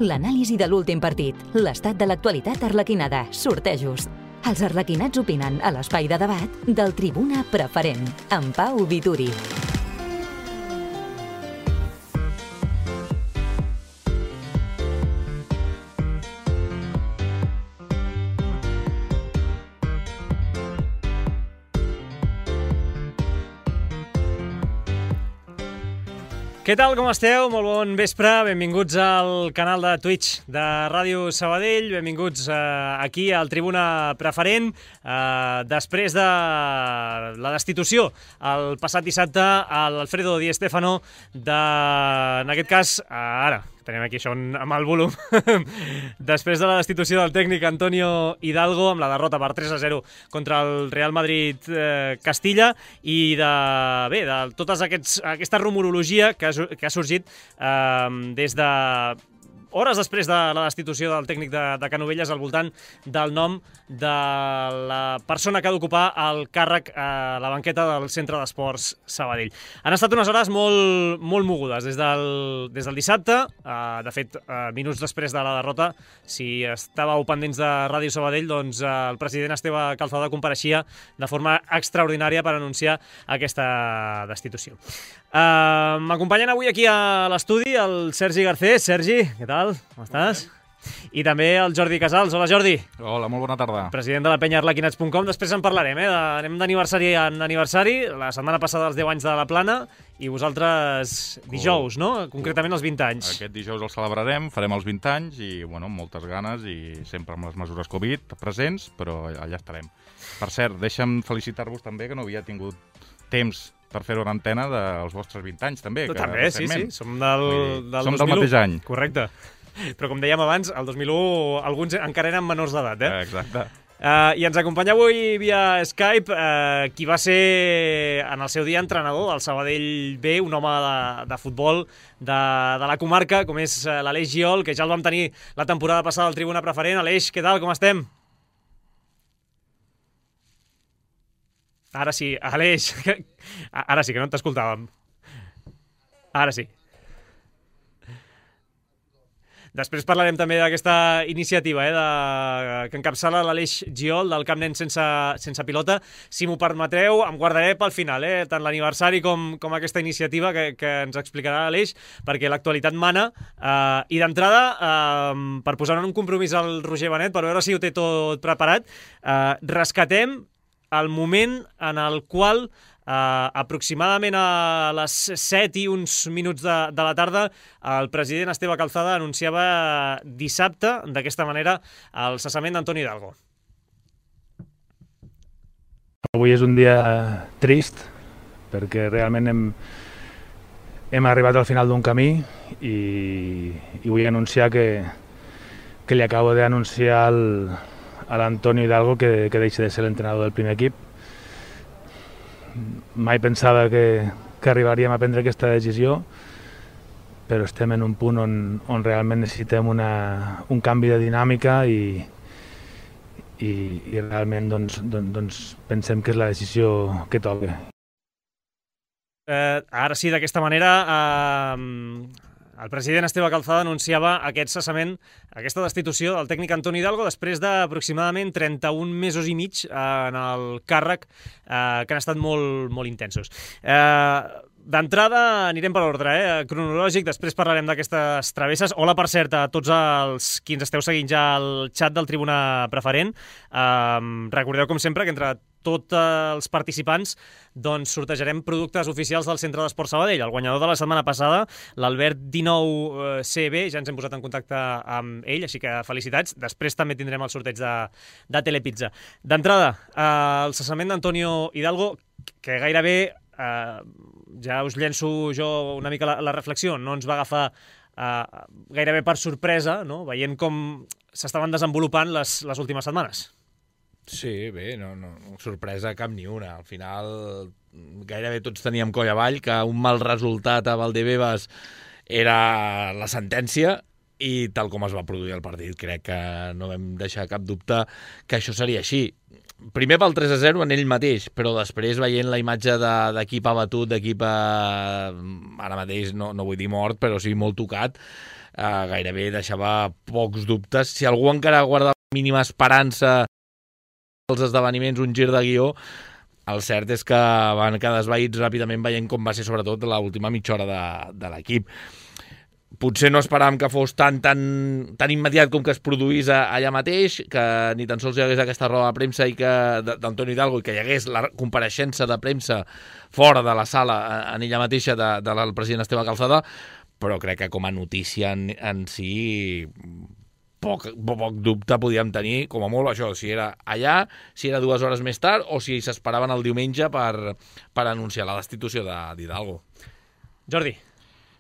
L'anàlisi de l'últim partit, l'estat de l'actualitat arlequinada, sortejos. Els arlequinats opinen a l'espai de debat del Tribuna Preferent, amb Pau Vituri. Què tal, com esteu? Molt bon vespre, benvinguts al canal de Twitch de Ràdio Sabadell, benvinguts aquí al Tribuna Preferent. Després de la destitució el passat dissabte a l'Alfredo Di Stéfano, en aquest cas, ara, tenim aquí això amb el volum, després de la destitució del tècnic Antonio Hidalgo amb la derrota per 3-0 contra el Real Madrid Castilla i de tota aquesta rumorologia que ha sorgit des de hores després de la destitució del tècnic de Canovelles al voltant del nom de la persona que ha d'ocupar el càrrec a la banqueta del Centre d'Esports Sabadell. Han estat unes hores molt mogudes des del dissabte. De fet, minuts després de la derrota, si estàveu pendents de Ràdio Sabadell, doncs el president Esteve Calzada compareixia de forma extraordinària per anunciar aquesta destitució. M'acompanyen avui aquí a l'estudi el Sergi Garcés. Sergi, què tal? Com estàs? I també el Jordi Casals. Hola, Jordi. Hola, molt bona tarda. President de la penya arlequinats.com. Després en parlarem, anem d'aniversari en aniversari. La setmana passada els 10 anys de la Plana i vosaltres dijous, no? Concretament els 20 anys. Aquest dijous el celebrarem, farem els 20 anys i, bueno, amb moltes ganes i sempre amb les mesures Covid presents, però allà estarem. Per cert, deixa'm felicitar-vos també, que no havia tingut temps per fer-ho en antena dels vostres 20 anys, també. També, sí. Som del 2001. Som del mateix any. Correcte. Però, com dèiem abans, el 2001 alguns encara eren menors d'edat, Exacte. I ens acompanya avui via Skype qui va ser en el seu dia entrenador del Sabadell B, un home de futbol de la comarca, com és l'Aleix Giol, que ja el vam tenir la temporada passada al Tribuna Preferent. Aleix, què tal, com estem? Ara sí, Aleix, ara sí, que no t'escoltàvem. Ara sí. Després parlarem també d'aquesta iniciativa que encapçala l'Aleix Giol del Camp Nen sense pilota. Si m'ho permetreu, em guardaré pel final, tant l'aniversari com aquesta iniciativa que ens explicarà l'Aleix, perquè l'actualitat mana. I d'entrada, per posar en un compromís al Roger Benet, per veure si ho té tot preparat, rescatem el moment en el qual aproximadament a les 7 i uns minuts de la tarda el president Esteve Calzada anunciava dissabte d'aquesta manera el cessament d'Antonio Hidalgo. Avui és un dia trist perquè realment hem arribat al final d'un camí i vull anunciar que li acabo d'anunciar a l'Antonio Hidalgo que deixa de ser l'entrenador del primer equip. Mai pensava que arribaríem a prendre aquesta decisió, però estem en un punt on realment necessitem un canvi de dinàmica i realment doncs pensem que és la decisió que toca. Ara sí, d'aquesta manera, el president Esteve Calzada anunciava aquest cessament, aquesta destitució del tècnic Antonio Hidalgo després d'aproximadament 31 mesos i mig en el càrrec, que han estat molt intensos. D'entrada anirem per ordre cronològic, després parlarem d'aquestes travesses. Hola, per cert, a tots els qui ens esteu seguint ja al xat del Tribuna Preferent. Recordeu, com sempre, que entre tots els participants doncs sortejarem productes oficials del Centre d'Esports Sabadell. El guanyador de la setmana passada, l'Albert 19CB, ja ens hem posat en contacte amb ell, així que felicitats. Després també tindrem el sorteig de Telepizza. D'entrada, el cessament d'Antonio Hidalgo, que gairebé, ja us llenço jo una mica la reflexió, no ens va agafar gairebé per sorpresa, no? Veient com s'estaven desenvolupant les últimes setmanes. Sí, bé, no sorpresa cap ni una. Al final gairebé tots teníem coll avall que un mal resultat a Valdebebas era la sentència i tal com es va produir el partit crec que no vam deixar cap dubte que això seria així. primer pel 3-0 en ell mateix, però després veient la imatge d'equip abatut, d'equip ara mateix no vull dir mort, però sí molt tocat, gairebé deixava pocs dubtes. Si algú encara guarda mínima esperança als esdeveniments, un gir de guió, el cert és que van quedar esvaïts ràpidament veient com va ser sobretot l'última mitja hora de l'equip. Potser no esperàvem que fos tan immediat com que es produís allà mateix, que ni tan sols hi hagués aquesta roda de premsa d'Antonio Hidalgo i que hi hagués la compareixença de premsa fora de la sala en ella mateixa del president Esteve Calçada, però crec que com a notícia en si poc dubte podíem tenir, com a molt això, si era allà, si era 2 hores més tard o si s'esperaven el diumenge per anunciar la destitució d'Hidalgo. Jordi.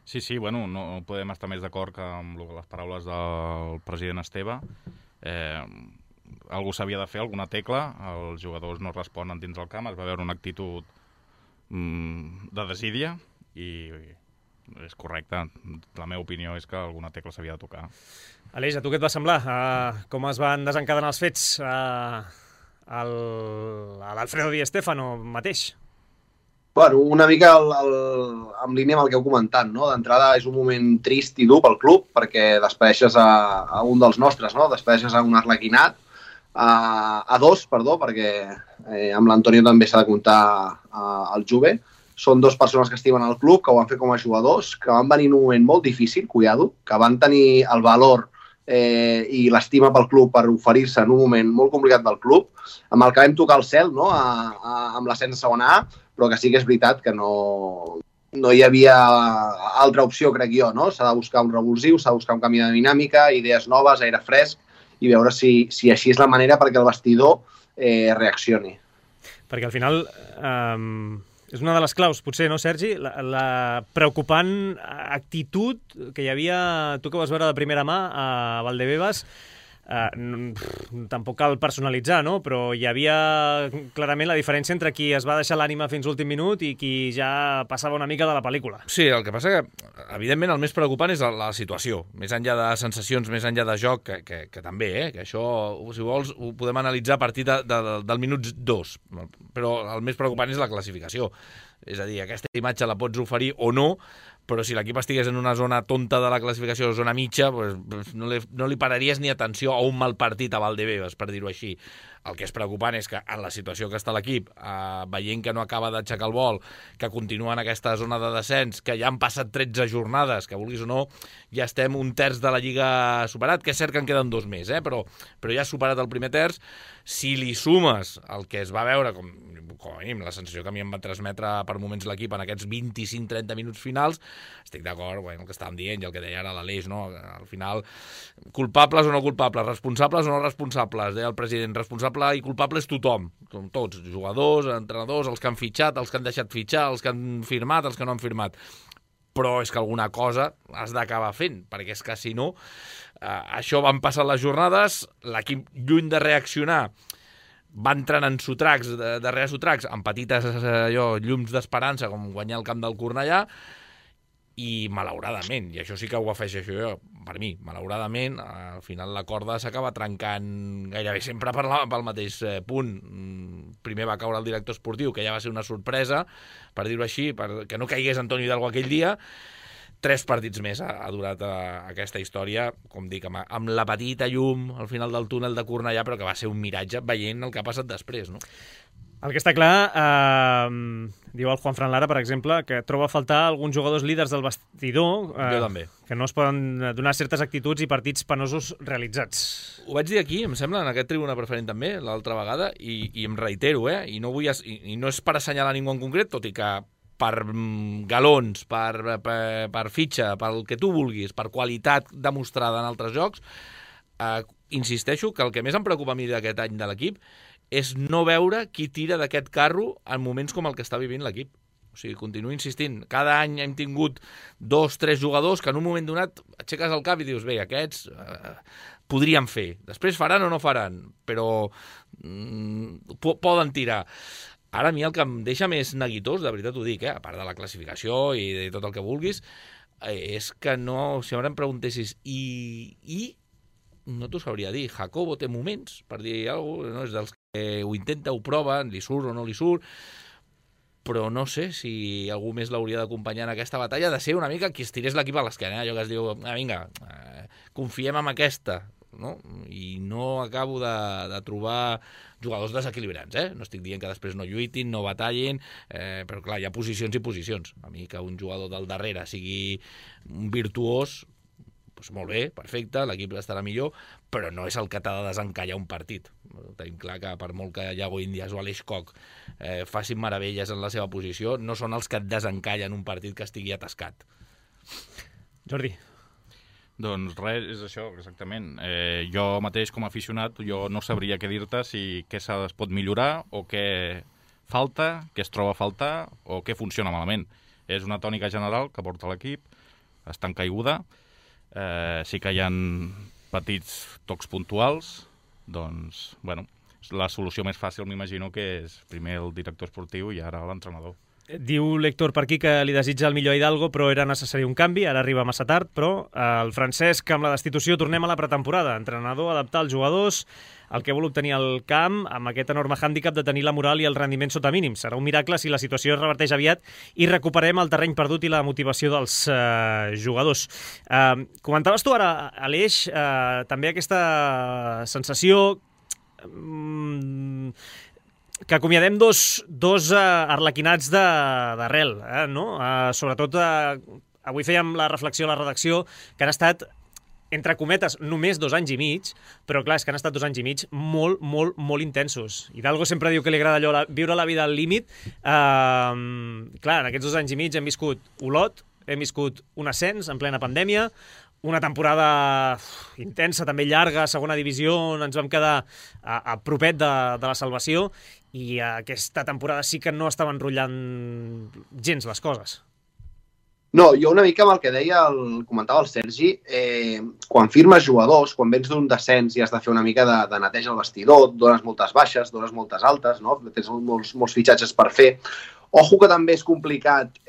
Sí, bueno, no podem estar més d'acord que amb les paraules del president Esteve. Algú s'havia de fer, alguna tecla, els jugadors no responen dins del camp, es va veure una actitud de desídia i és correcte. La meva opinió és que alguna tecla s'havia de tocar. Aleix, a tu què et va semblar? Com es van desencadenar els fets a l'Alfredo Di Stéfano mateix? Bueno, una mica en línia amb el que heu comentat, no? D'entrada és un moment trist i dur pel club perquè despedeixes a un dels nostres, no? Despedeixes a un arlequinat, a dos, perdó, perquè amb l'Antonio també s'ha de comptar el Juve. Són 2 persones que estimen al club, que ho van fer com a jugadors, que van venir en un moment molt difícil, cuidado, que van tenir el valor i l'estima pel club per oferir-se en un moment molt complicat del club, amb el que vam tocar el cel, no? Amb l'ascens a segona A, però que sí que és veritat que no hi havia altra opció, crec jo, no? S'ha de buscar un revulsiu, s'ha de buscar un canvi de dinàmica, idees noves, aire fresc, i veure si així és la manera perquè el vestidor reaccioni. Perquè al final és una de les claus, potser, no, Sergi? La preocupant actitud que hi havia, tu que vas veure de primera mà a Valdebebas, tampoc cal personalitzar, no? Però hi havia clarament la diferència entre qui es va deixar l'ànima fins l'últim minut i qui ja passava una mica de la pel·lícula. Sí, el que passa que, evidentment, el més preocupant és la situació. Més enllà de sensacions, més enllà de joc, que també, que això, si vols, ho podem analitzar a partir del minut 2. Però el més preocupant és la classificació. És a dir, aquesta imatge la pots oferir o no, però si l'equip estigués en una zona tonta de la classificació, zona mitja, pues no li pararies ni atenció a un mal partit a Valdebebas, per dir-ho així. El que és preocupant és que en la situació que està l'equip, veient que no acaba d'aixecar el vol, que continua en aquesta zona de descens, que ja han passat 13 jornades, que vulguis o no, ja estem un terç de la Lliga superat, que és cert que en queden 2 més, però ja has superat el primer terç. Si li sumes el que es va veure, com a mínim la sensació que a mi em va transmetre per moments l'equip en aquests 25-30 minuts finals, estic d'acord amb el que estàvem dient i el que deia ara l'Aleix, no? Al final, culpables o no culpables, responsables o no responsables, deia el president, responsable i culpable és tothom, tots, jugadors, entrenadors, els que han fitxat, els que han deixat fitxar, els que han firmat, els que no han firmat. Però és que alguna cosa has d'acabar fent, perquè és que si no, això van passar les jornades, l'equip lluny de reaccionar va entrant en sotracs, darrere sotracs, amb petites llums d'esperança, com guanyar el camp del Cornellà, i malauradament, i això sí que ho afegeixo jo, per mi, malauradament, al final la corda s'acaba trencant gairebé sempre pel mateix punt. Primer va caure el director esportiu, que ja va ser una sorpresa, per dir-ho així, que no caigués Antonio Hidalgo aquell dia. 3 partits més ha durat aquesta història, com dic, amb la petita llum al final del túnel de Cornellà, però que va ser un miratge veient el que ha passat després, no? El que està clar, diu el Juanfran Lara, per exemple, que troba a faltar alguns jugadors líders del vestidor jo també. Que no es poden donar certes actituds i partits penosos realitzats. Ho vaig dir aquí, em sembla, en aquest Tribuna Preferent també, l'altra vegada, i em reitero, i no és per assenyalar ningú en concret, tot i que per galons, per fitxa, pel que tu vulguis, per qualitat demostrada en altres jocs, insisteixo que el que més em preocupa a mi d'aquest any de l'equip és no veure qui tira d'aquest carro en moments com el que està vivint l'equip. O sigui, continuo insistint. Cada any hem tingut 2-3 jugadors que en un moment donat aixeques el cap i dius, bé, aquests podrien fer. Després faran o no faran, però poden tirar. Ara a mi el que em deixa més neguitós, de veritat ho dic, a part de la classificació i de tot el que vulguis, és que no, si ara em preguntessis i no t'ho sabria dir, Jacobo té moments, per dir alguna cosa, no és dels ho intenta, ho prova, li surt o no li surt, però no sé si algú més l'hauria d'acompanyar en aquesta batalla, de ser una mica qui es tirés l'equip a l'esquena, allò que es diu, vinga, confiem en aquesta, no? I no acabo de trobar jugadors desequilibrants, no estic dient que després no lluitin, no batallin, però clar, hi ha posicions i posicions. A mi que un jugador del darrere sigui un virtuós, doncs molt bé, perfecte, l'equip estarà millor, però no és el que t'ha de desencallar un partit. Tenim clar que per molt que Iago Índias o Aleix Koch facin meravelles en la seva posició, no són els que et desencallen un partit que estigui atascat. Jordi. Doncs res, és això, exactament. Jo mateix, com a aficionat, jo no sabria què dir-te si què es pot millorar o què falta, què es troba a faltar o què funciona malament. És una tònica general que porta l'equip, està en caiguda, sí que hi ha petits tocs puntuals, doncs, bueno, la solució més fàcil m'imagino que és primer el director esportiu i ara l'entrenador. Diu l'Héctor per aquí que li desitja el millor a Hidalgo, però era necessari un canvi, ara arriba massa tard, però el Francesc, amb la destitució, tornem a la pretemporada. Entrenador, adaptar els jugadors, el que vol obtenir el camp, amb aquest enorme hàndicap de tenir la moral i el rendiment sota mínims. Serà un miracle si la situació es reverteix aviat i recuperem el terreny perdut i la motivació dels jugadors. Comentaves tu ara, Aleix, també aquesta sensació que acomiadem dos arlequinats d'arrel, no? Sobretot, avui fèiem la reflexió a la redacció, que han estat, entre cometes, només 2 anys i mig, però clar, és que han estat 2 anys i mig molt, molt, molt intensos. Hidalgo sempre diu que li agrada allò, viure la vida al límit. Clar, en aquests 2 anys i mig hem viscut Olot, hem viscut un ascens en plena pandèmia, una temporada intensa, també llarga, segona divisió, on ens vam quedar a propet de la salvació, i aquesta temporada sí que no estava enrotllant gens les coses. No, jo una mica amb el que deia, comentava el Sergi, quan firmes jugadors, quan vens d'un descens i has de fer una mica de neteja al vestidor, dones moltes baixes, dones moltes altes, no? Tens molts fitxatges per fer. Ojo que també és complicat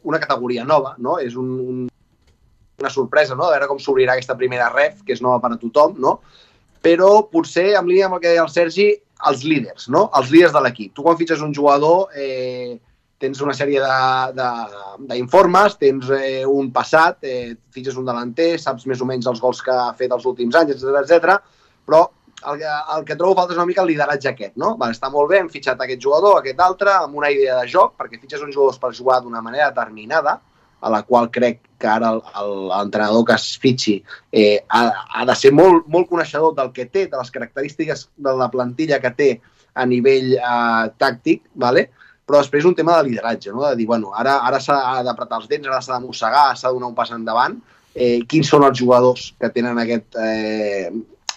una categoria nova, no? És una sorpresa, no? A veure com s'obrirà aquesta primera ref, que és nova per a tothom, no? Però potser, en línia amb el que deia el Sergi, els líders, no? Els líders de l'equip. Tu quan fitxes un jugador tens una sèrie d'informes, tens un passat, fitxes un delanter, saps més o menys els gols que ha fet els últims anys, etc. Però el que trobo falta és una mica el lideratge aquest, no? Està molt bé, hem fitxat aquest jugador, aquest altre, amb una idea de joc, perquè fitxes uns jugadors per jugar d'una manera determinada, a la qual crec que ara l'entrenador que es fitxi ha de ser molt, molt coneixedor del que té, de les característiques de la plantilla que té a nivell tàctic, ¿vale? Però després un tema de lideratge, no? De dir, bueno, ara s'ha d'apretar els dents, ara s'ha de mossegar, s'ha de donar un pas endavant. Quins són els jugadors que tenen aquest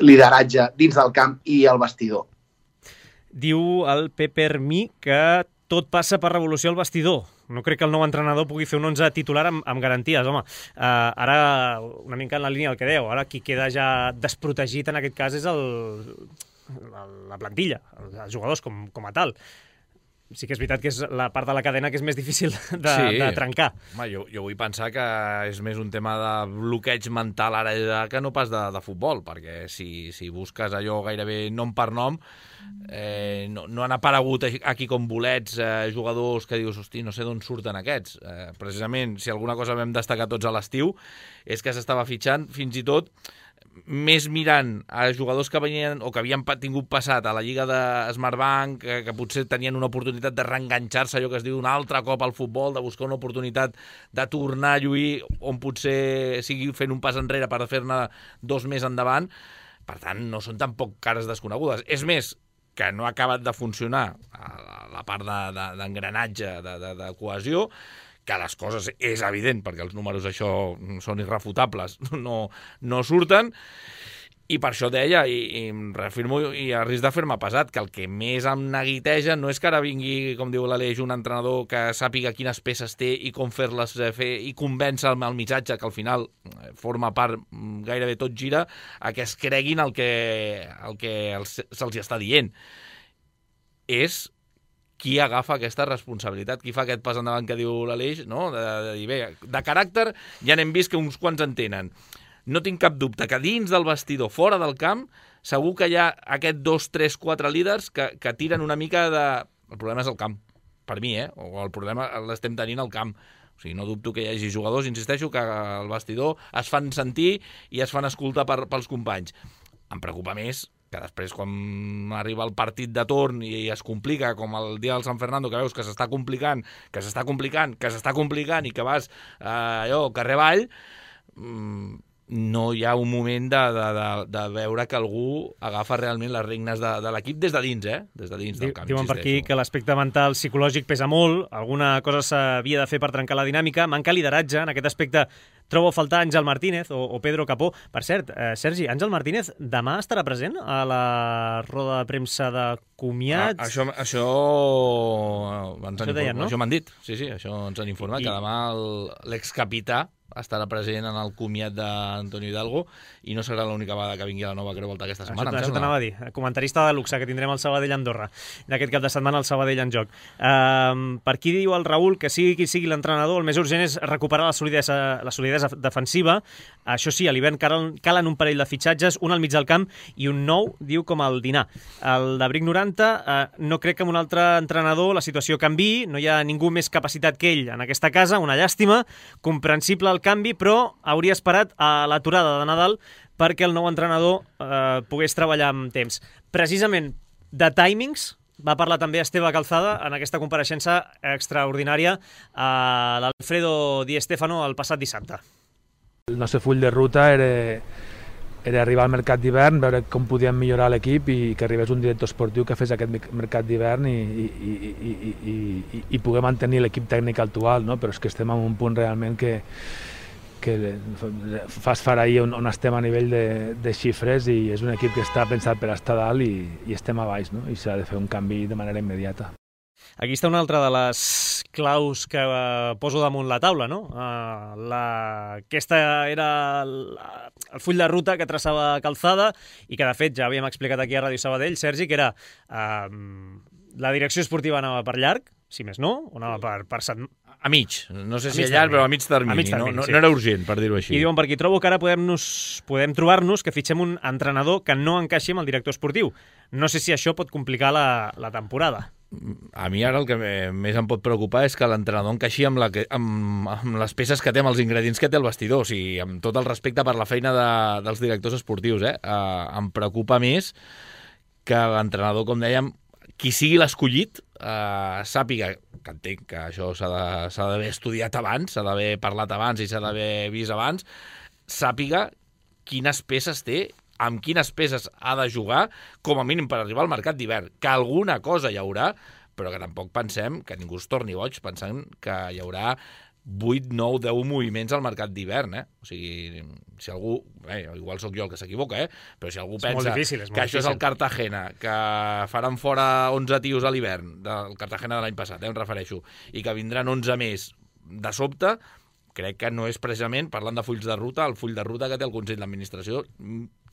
lideratge dins del camp i al vestidor? Diu el Pepper Mi que tot passa per revolució al vestidor. No crec que el nou entrenador pugui fer un 11 titular amb garanties, home. Ara, una mica en la línia del que deu, ara qui queda ja desprotegit en aquest cas és la plantilla, els jugadors com a tal. Sí que és veritat que és la part de la cadena que és més difícil de trencar. Home, jo vull pensar que és més un tema de bloqueig mental ara que no pas de futbol, perquè si busques allò gairebé nom per nom, no han aparegut aquí com bolets jugadors que dius, hosti, no sé d'on surten aquests. Precisament, si alguna cosa vam destacar tots a l'estiu, és que s'estava fitxant fins i tot més mirant a jugadors que venien o que havien tingut passat a la Lliga de Smartbank, que potser tenien una oportunitat de reenganxar-se, allò que es diu un altre cop al futbol, de buscar una oportunitat de tornar a lluir on potser sigui fent un pas enrere per fer-ne 2 més endavant. Per tant, no són tampoc cares desconegudes. És més, que no ha acabat de funcionar la part d'engranatge, de cohesió, que les coses és evident, perquè els números això són irrefutables, no surten, i per això deia, i reafirmo i a risc de fer-me pesat, que el que més em neguiteja no és que ara vingui, com diu l'Aleix, un entrenador que sàpiga quines peces té i com fer-les fer i convèncer el missatge, que al final forma part, gairebé tot gira, a que es creguin el que se'ls està dient. És qui agafa aquesta responsabilitat, qui fa aquest pas endavant que diu l'Aleix, no? De dir, bé, de caràcter ja n'hem vist que uns quants en tenen. no tinc cap dubte que dins del vestidor, fora del camp, segur que hi ha aquests 2, 3, 4 líders que tiren una mica de... El problema és el camp, per mi, o el problema l'estem tenint al camp. O sigui, no dubto que hi hagi jugadors, insisteixo, que al vestidor es fan sentir i es fan escoltar pels companys. Em preocupa més que després, quan arriba el partit de torn i es complica, com el dia del San Fernando, que veus que s'està complicant i que vas allò, carrer avall, no hi ha un moment de veure que algú agafa realment les regnes de l'equip des de dins, des de dins del camp. Diuen per aquí que l'aspecte mental psicològic pesa molt, alguna cosa s'havia de fer per trencar la dinàmica, manca lideratge en aquest aspecte. Trobo a faltar Àngel Martínez o Pedro Capó. Per cert, Sergi, Àngel Martínez demà estarà present a la roda de premsa de comiat? Això m'han dit, sí, això ens han informat, que demà l'excapità estarà present en el comiat d'Antonio Hidalgo i no serà l'única vegada que vingui a la nova Creu Volta aquesta setmana. Això t'anava a dir, comentarista de luxe que tindrem al Sabadell-Andorra d'aquest cap de setmana al Sabadell en joc. Per aquí diu el Raül que sigui qui sigui l'entrenador, el més urgent és recuperar la solidesa defensiva. Això sí, a l'hivern calen un parell de fitxatges, un al mig del camp i un nou, diu, com el Dinar. El de Bric 90, no crec que amb un altre entrenador la situació canviï, no hi ha ningú més capacitat que ell en aquesta casa, una llàstima, comprensible el canvi, però hauria esperat a l'aturada de Nadal perquè el nou entrenador pogués treballar amb temps. Precisament de timings va parlar també Esteve Calzada en aquesta compareixença extraordinària a l'Alfredo Di Stéfano el passat dissabte. El nostre full de ruta era arribar al mercat d'hivern, veure com podíem millorar l'equip i que arribés un director esportiu que fes aquest mercat d'hivern i poder mantenir l'equip tècnic actual, no? Però és que estem en un punt realment que fa esfereir on estem a nivell de xifres i és un equip que està pensat per estar dalt i estem a baix, no? I s'ha de fer un canvi de manera immediata. Aquí està una altra de les claus que poso damunt la taula, no? Aquesta era el full de ruta que traçava Calzada i que, de fet, ja havíem explicat aquí a Ràdio Sabadell, Sergi, que era la direcció esportiva anava per llarg, si més no, o anava per setmana. A mig, no sé si a llarg, però a mig termini. No era urgent, per dir-ho així. I diuen per aquí, trobo que ara podem trobar-nos que fitxem un entrenador que no encaixi amb el director esportiu. No sé si això pot complicar la temporada. A mi ara el que més em pot preocupar és que l'entrenador encaixi amb les peces que té, amb els ingredients que té el vestidor. O sigui, amb tot el respecte per la feina dels directors esportius. Em preocupa més que l'entrenador, com dèiem, qui sigui l'escollit, sàpiga, que entenc que això s'ha d'haver estudiat abans, s'ha d'haver parlat abans i s'ha d'haver vist abans, sàpiga quines peces té, amb quines peces ha de jugar, com a mínim per arribar al mercat d'hivern. Que alguna cosa hi haurà, però que tampoc pensem que ningú es torni boig pensant que hi haurà 8, 9, 10 moviments al mercat d'hivern, O sigui, si algú... igual sóc jo el que s'equivoca, però si algú pensa que això és el Cartagena, que faran fora 11 tios a l'hivern, del Cartagena de l'any passat, em refereixo, i que vindran 11 més de sobte, crec que no és precisament, parlant de fulls de ruta, el full de ruta que té el Consell d'Administració,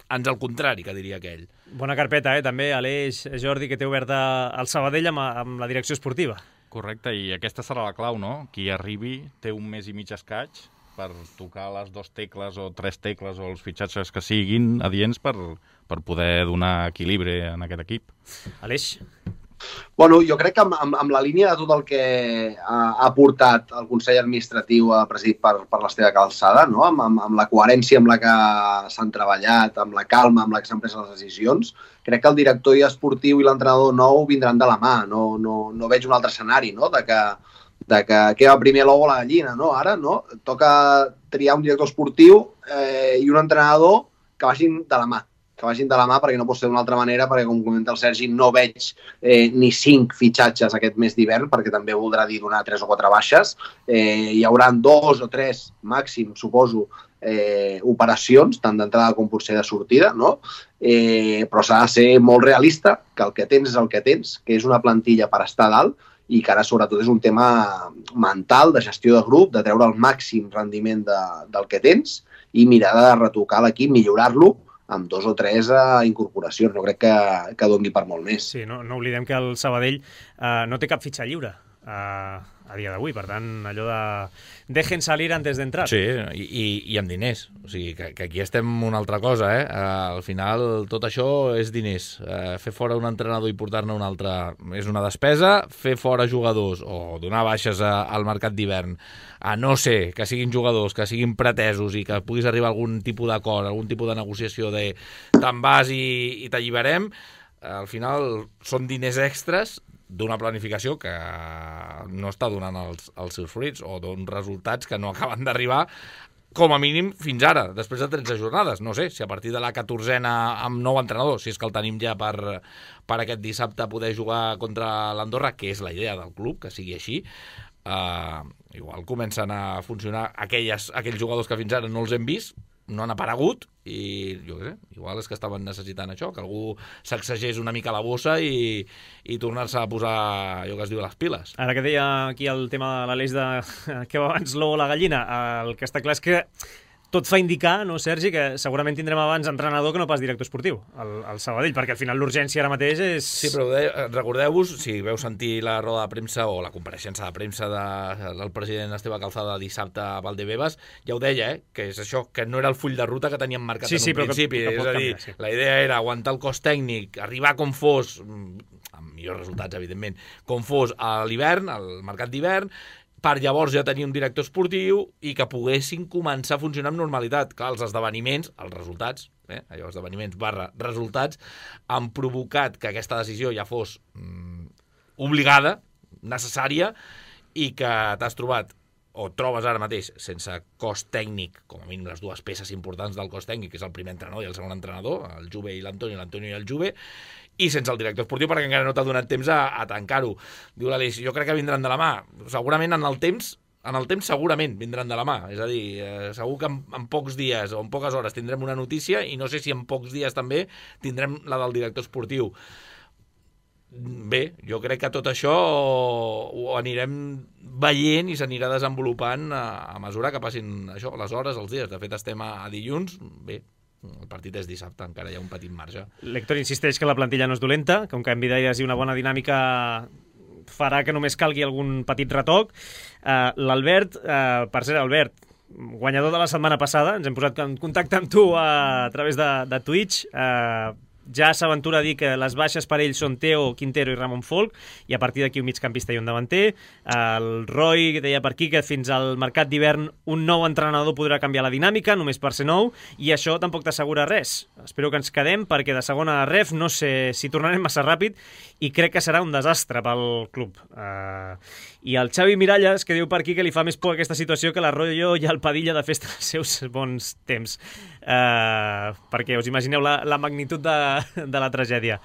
ans al contrari, que diria aquell. Bona carpeta, també, Aleix, Jordi, que té oberta el Sabadell amb la direcció esportiva. Correcte, i aquesta serà la clau, no? Qui arribi té un mes i mig escaig per tocar les 2 tecles o 3 tecles o els fitxatges que siguin adients per poder donar equilibri en aquest equip. Aleix? Bueno, jo crec que amb la línia de tot el que ha portat el Consell Administratiu presidit per l'Esteve Calzada, no? Amb la coherència amb la que s'han treballat, amb la calma amb la que s'han pres les decisions, crec que el director esportiu i l'entrenador nou vindran de la mà. No veig un altre escenari, no? De que va primer l'ou o la gallina, no? Ara, no? Toca triar un director esportiu i un entrenador que vagin de la mà. Perquè no pot ser d'una altra manera, perquè, com comenta el Sergi, no veig ni 5 fitxatges aquest mes d'hivern, perquè també voldrà dir donar 3 o 4 baixes. Hi haurà 2 o 3 màxim, suposo, operacions, tant d'entrada com potser de sortida, no? Però s'ha de ser molt realista, que el que tens és el que tens, que és una plantilla per estar dalt, i que ara sobretot és un tema mental, de gestió de grup, de treure el màxim rendiment del que tens i mirar de retocar l'equip, millorar-lo, amb 2 o 3 incorporacions. No crec que doni per molt més. Sí, no oblidem que el Sabadell no té cap fitxa lliure. a dia d'avui. Per tant, allò de dejen salir antes de entrar. Sí, i amb diners. O sigui, que aquí estem una altra cosa, eh? Al final, tot això és diners. Fer fora un entrenador i portar-ne un altre és una despesa. Fer fora jugadors o donar baixes al mercat d'hivern, a no ser que siguin jugadors, que siguin pretesos i que puguis arribar a algun tipus d'acord, algun tipus de negociació de te'n vas i t'alliberem, al final són diners extras d'una planificació que no està donant els seus fruits o d'uns resultats que no acaben d'arribar com a mínim fins ara, després de 13 jornades. No sé, si a partir de la 14a amb nou entrenador, si és que el tenim ja per aquest dissabte poder jugar contra l'Andorra, que és la idea del club, que sigui així, igual comencen a funcionar aquells jugadors que fins ara no els hem vist, no han aparegut, i jo què sé, igual és que estaven necessitant això, que algú sacsegés una mica la bossa i tornar-se a posar allò que es diu les piles. Ara que deia aquí el tema de l'Aleix de què va abans l'ou o la gallina, el que està clar és que tot fa indicar, no, Sergi, que segurament tindrem abans entrenador que no pas director esportiu, al Sabadell, perquè al final l'urgència ara mateix és... Sí, però recordeu-vos, si veu sentir la roda de premsa o la compareixença de premsa del president Esteve Calzada dissabte a Valdebebas, ja ho deia, que és això, que no era el full de ruta que teníem marcat en un principi. És a dir, la idea era aguantar el cost tècnic, arribar com fos, amb millors resultats, evidentment, com fos a l'hivern, al mercat d'hivern, per llavors ja tenir un director esportiu i que poguessin començar a funcionar amb normalitat. Clar, els esdeveniments, els resultats, allò, esdeveniments / resultats, han provocat que aquesta decisió ja fos obligada, necessària, i que t'has trobat o trobes ara mateix sense cost tècnic, com a mínim les dues peces importants del cost tècnic, que és el primer entrenador i el segon entrenador, el Juve i l'Antonio i el Juve, i sense el director esportiu perquè encara no t'ha donat temps a tancar-ho. Diu l'Aleix, jo crec que vindran de la mà. Segurament en el temps segurament vindran de la mà. És a dir, segur que en pocs dies o en poques hores tindrem una notícia i no sé si en pocs dies també tindrem la del director esportiu. Bé, jo crec que tot això ho anirem veient i s'anirà desenvolupant a mesura que passin això, les hores, els dies. De fet, estem a dilluns. Bé, el partit és dissabte, encara hi ha un petit marge. L'Héctor insisteix que la plantilla no és dolenta, que un canvi d'aires i una bona dinàmica farà que només calgui algun petit retoc. L'Albert, per cert, Albert, guanyador de la setmana passada, ens hem posat en contacte amb tu a través de Twitch, ja s'aventura a dir que les baixes per ell són Teo, Quintero i Ramon Folk, i a partir d'aquí un migcampista i un davanter. El Roy deia per aquí que fins al mercat d'hivern un nou entrenador podrà canviar la dinàmica, només per ser nou, i això tampoc t'assegura res. Espero que ens quedem, perquè de segona ref no sé si tornarem massa ràpid, i crec que serà un desastre pel club. I el Xavi Miralles, que diu per aquí que li fa més por aquesta situació que l'Arroyo i el Padilla de festa dels seus bons temps. Perquè us imagineu la magnitud de la tragèdia.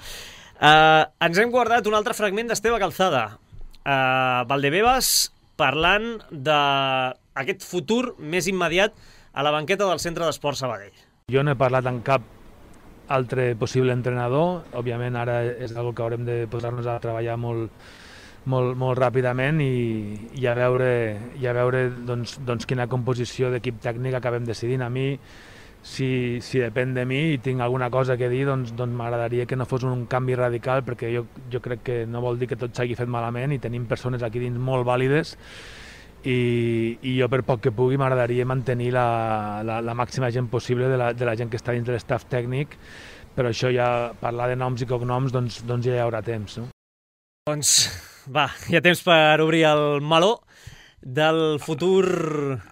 Ens hem guardat un altre fragment d'Esteve Calzada. Valdebebas parlant d'aquest futur més immediat a la banqueta del Centre d'Esport Sabadell. Jo no he parlat amb cap altre possible entrenador. Òbviament ara és una que haurem de posar-nos a treballar molt ràpidament i a veure doncs, quina composició d'equip tècnic acabem decidint. A mi, si depèn de mi i tinc alguna cosa que dir, doncs m'agradaria que no fos un canvi radical, perquè jo crec que no vol dir que tot s'hagi fet malament i tenim persones aquí dins molt vàlides i jo per poc que pugui m'agradaria mantenir la màxima gent possible de la gent que està dins de l'estaf tècnic, però això ja, parlar de noms i cognoms, doncs ja hi haurà temps, no? Doncs va, hi ha temps per obrir el meló del futur...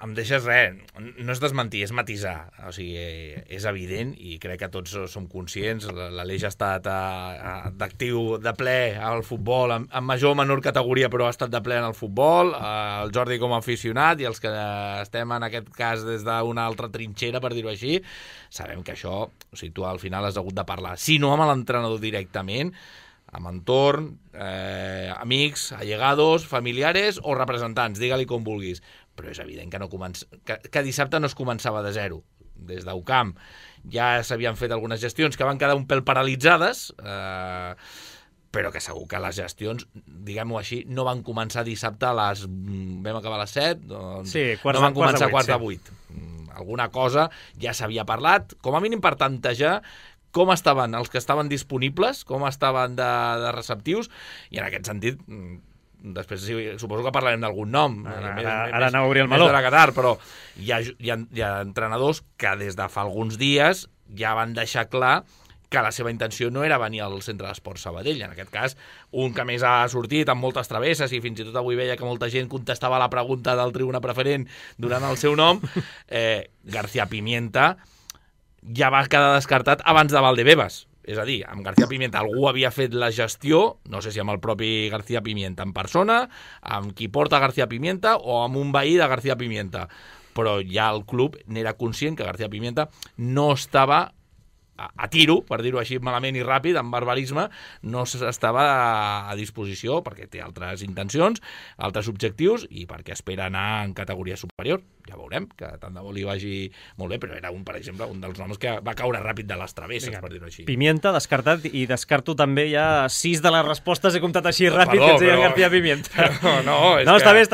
Em deixes res, no és desmentir, és matisar. O sigui, és evident i crec que tots som conscients. L'Aleix ha estat d'actiu de ple al futbol, en major o menor categoria, però ha estat de ple en el futbol. El Jordi com a aficionat i els que estem en aquest cas des d'una altra trinxera, per dir-ho així, sabem que això, o sigui, tu al final has hagut de parlar, si no amb l'entrenador directament, amb entorn, amics, allegados, familiares o representants, digue-li com vulguis. Però és evident que dissabte no es començava de zero. Des d'Ucamp ja s'havien fet algunes gestions que van quedar un pèl paralitzades, però que segur que les gestions, diguem-ho així, no van començar dissabte vam acabar a les 7, doncs sí, no van començar a quarts de 8. Alguna cosa ja s'havia parlat, com a mínim per tantejar com estaven els que estaven disponibles, com estaven de receptius, i en aquest sentit després suposo que parlarem d'algun nom. Ara anava a obrir el meló. Més de la Qatar, però hi ha entrenadors que des de fa alguns dies ja van deixar clar que la seva intenció no era venir al Centre d'Esports Sabadell. En aquest cas, un que més ha sortit amb moltes travesses i fins i tot avui veia que molta gent contestava la pregunta del Tribuna Preferent donant el seu nom, García Pimienta ja va quedar descartat abans de Valdebebas. És a dir, amb García Pimienta algú havia fet la gestió, no sé si amb el propi García Pimienta en persona, amb qui porta García Pimienta o amb un veí de García Pimienta. Però ja el club n'era conscient que García Pimienta no estava a tiro, per dir-ho així malament i ràpid, amb barbarisme, no estava a disposició perquè té altres intencions, altres objectius i perquè espera anar en categoria superior. Ja veurem, que tant de bo li vagi molt bé, però era per exemple, un dels noms que va caure ràpid de les travesses, per dir-ho així. Pimienta, descartat, i descarto també ja 6 de les respostes he comptat així ràpid, que ens deien García Pimienta. No, està bé.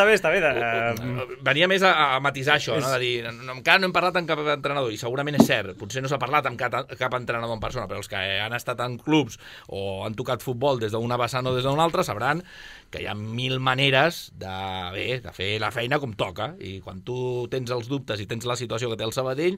Venia més a matisar això, no? De dir, encara no hem parlat amb cap entrenador, i segurament és cert, potser no s'ha parlat amb cap entrenador en persona, però els que han estat en clubs o han tocat futbol des d'una vessant o des d'una altra sabran que hi ha 1000 maneres de fer la feina com toca, i quan tu tens els dubtes i tens la situació que té el Sabadell,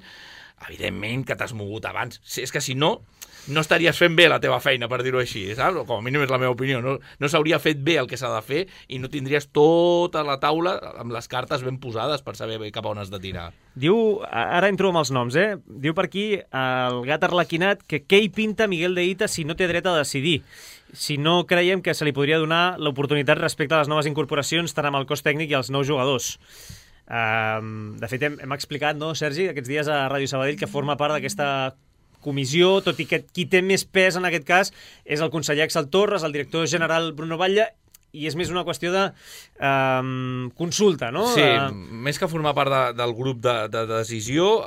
evidentment que t'has mogut abans. És que si no estaries fent bé la teva feina, per dir-ho així, saps? Com a mínim és la meva opinió. No s'hauria fet bé el que s'ha de fer i no tindries tota la taula amb les cartes ben posades per saber cap a on has de tirar. Diu, ara entro amb els noms, diu per aquí el gat arlequinat que què hi pinta Miguel de Hita si no té dret a decidir? Si no creiem que se li podria donar l'oportunitat respecte a les noves incorporacions, tant amb el cos tècnic i els nous jugadors. De fet, hem explicat, no, Sergi, aquests dies a Ràdio Sabadell, que forma part d'aquesta comissió, tot i que qui té més pes en aquest cas és el conseller Axel Torres, el director general Bruno Batlle, i és més una qüestió de consulta, no? Sí, més que formar part del grup de decisió,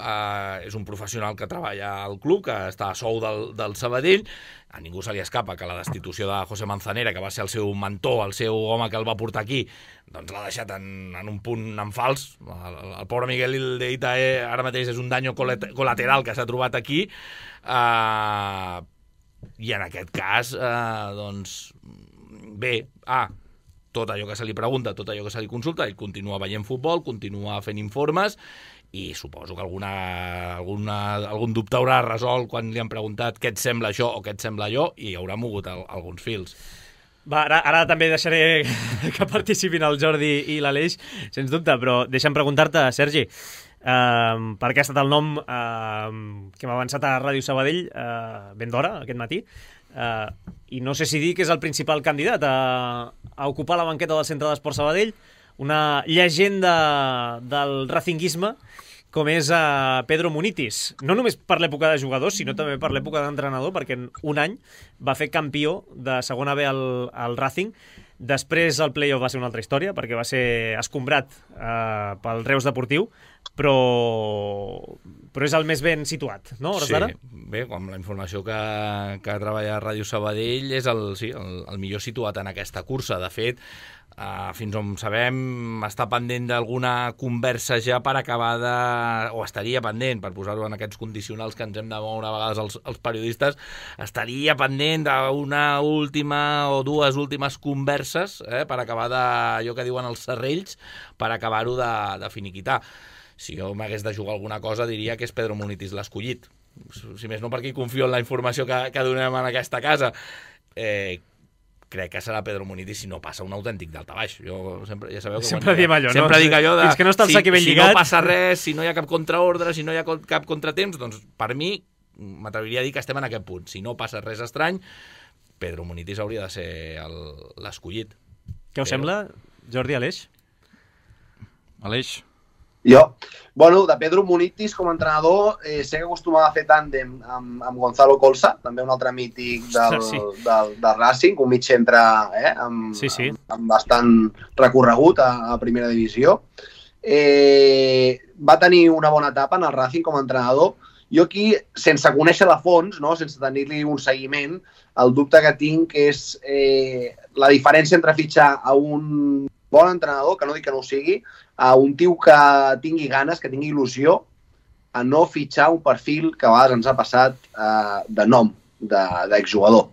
és un professional que treballa al club, que està a sou del Sabadell. A ningú se li escapa que la destitució de José Manzanera, que va ser el seu mentor, el seu home que el va portar aquí, doncs l'ha deixat en un punt en fals. El pobre Miguel de Hita ara mateix és un danyo col·lateral que s'ha trobat aquí, i en aquest cas, doncs, bé, tot allò que se li pregunta, tot allò que se li consulta, ell continua veient futbol, continua fent informes, i suposo que algun dubte haurà resolt quan li han preguntat què et sembla això o què et sembla allò, i haurà mogut alguns fils. Va, ara també deixaré que participin el Jordi i l'Aleix, sens dubte, però deixa'm preguntar-te, Sergi, perquè ha estat el nom que hem avançat a Ràdio Sabadell ben d'hora, aquest matí, i no sé si dir que és el principal candidat a ocupar la banqueta del Centre d'Esports Sabadell, una llegenda del racinguisme com és Pedro Munitis. No només per l'època de jugador, sinó també per l'època d'entrenador, perquè en un any va fer campió de segona B al Racing. Després el play-off va ser una altra història, perquè va ser escombrat pel Reus Deportiu, però és el més ben situat, no? Sí, bé, amb la informació que treballa a Ràdio Sabadell és el millor situat en aquesta cursa. De fet, fins on sabem, està pendent d'alguna conversa ja per acabar o estaria pendent, per posar-ho en aquests condicionals que ens hem de moure a vegades els periodistes, estaria pendent d'una última o dues últimes converses per acabar allò que diuen els serrells, per acabar-ho de finiquitar. Si jo m'hagués de jugar alguna cosa, diria que és Pedro Munitis l'escollit. Si més no, perquè confio en la informació que donem en aquesta casa. Crec que serà Pedro Munitis si no passa un autèntic daltabaix. Jo ja sabeu que sempre diem allò, sempre dic allò de... Fins que no està el sac ben lligat. Si no passa res, si no hi ha cap contraordre, si no hi ha cap contratemps, doncs per mi m'atreviria a dir que estem en aquest punt. Si no passa res estrany, Pedro Munitis hauria de ser l'escollit. Què us sembla, Jordi, Aleix? Aleix? Jo? Bueno, de Pedro Munitis com a entrenador sé que acostumava a fer tàndem amb Gonzalo Colsa, també un altre mític del Racing, un mig centre amb bastant recorregut a primera divisió. Va tenir una bona etapa en el Racing com a entrenador. Jo aquí, sense conèixer de fons, no, sense tenir-li un seguiment, el dubte que tinc és la diferència entre fitxar a un bon entrenador, que no dic que no ho sigui, a un tio que tingui ganes, que tingui il·lusió, a no fitxar un perfil que a vegades ens ha passat de nom, d'exjugador.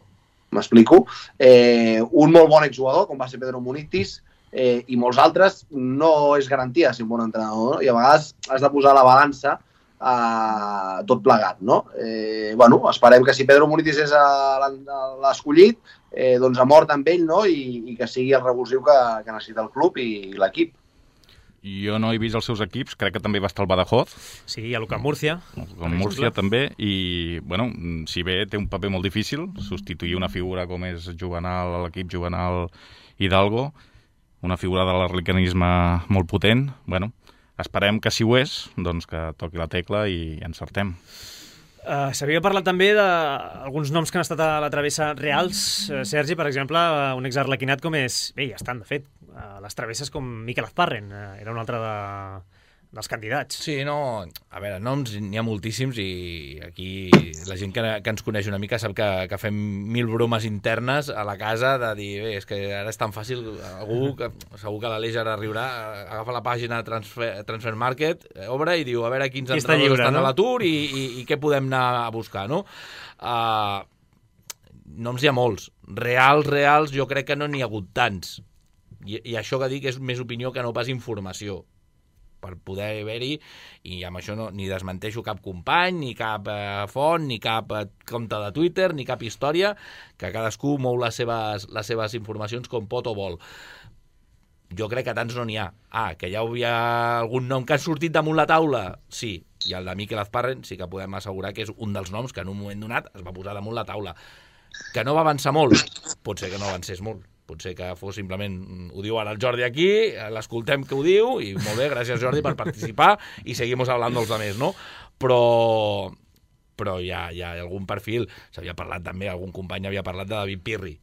M'explico. Un molt bon exjugador, com va ser Pedro Munitis, i molts altres, no és garantia ser un bon entrenador, no? I a vegades has de posar la balança tot plegat, no? Esperem que si Pedro Munitis és l'escollit, doncs ha mort amb ell, no? I que sigui el revulsiu que necessita el club i l'equip. Jo no he vist els seus equips, crec que també va estar el Badajoz. Sí, i a l'UCAM Múrcia. El Múrcia també, i si bé té un paper molt difícil, substituir una figura com és Juvenal, l'equip Juvenal Hidalgo, una figura de l'arlecanisme molt potent, esperem que si ho és, doncs que toqui la tecla i encertem. S'havia parlat també d'alguns noms que han estat a la travessa reals. Sergi, per exemple, un exarlequinat com és... Bé, ja estan, de fet, a les travesses com Miquel Azparren, era un altre dels candidats. Sí, no... A veure, noms n'hi ha moltíssims i aquí la gent que ens coneix una mica sap que fem 1000 bromes internes a la casa de dir, bé, és que ara és tan fàcil, segur que l'Aleix ara riurà, agafa la pàgina Transfer Market, obre i diu, a veure quins entrenadors estan a l'atur i què podem anar a buscar, no? Noms hi ha molts. Reals, jo crec que no n'hi ha hagut tants. I això que dic és més opinió que no pas informació, per poder haver-hi, i amb això ni desmenteixo cap company, ni cap font, ni cap compte de Twitter, ni cap història, que cadascú mou les seves informacions com pot o vol. Jo crec que tants no n'hi ha. Que ja hi havia algun nom que ha sortit damunt la taula? Sí, i el de Miquel Azparren sí que podem assegurar que és un dels noms que en un moment donat es va posar damunt la taula. Que no va avançar molt? Pot ser que no avancés molt. Potser que fos simplement, ho diu ara el Jordi aquí, l'escoltem que ho diu, i molt bé, gràcies Jordi per participar, i seguimos hablando dels altres, no? Però hi ha algun perfil, s'havia parlat també, algun company havia parlat de David Pirri,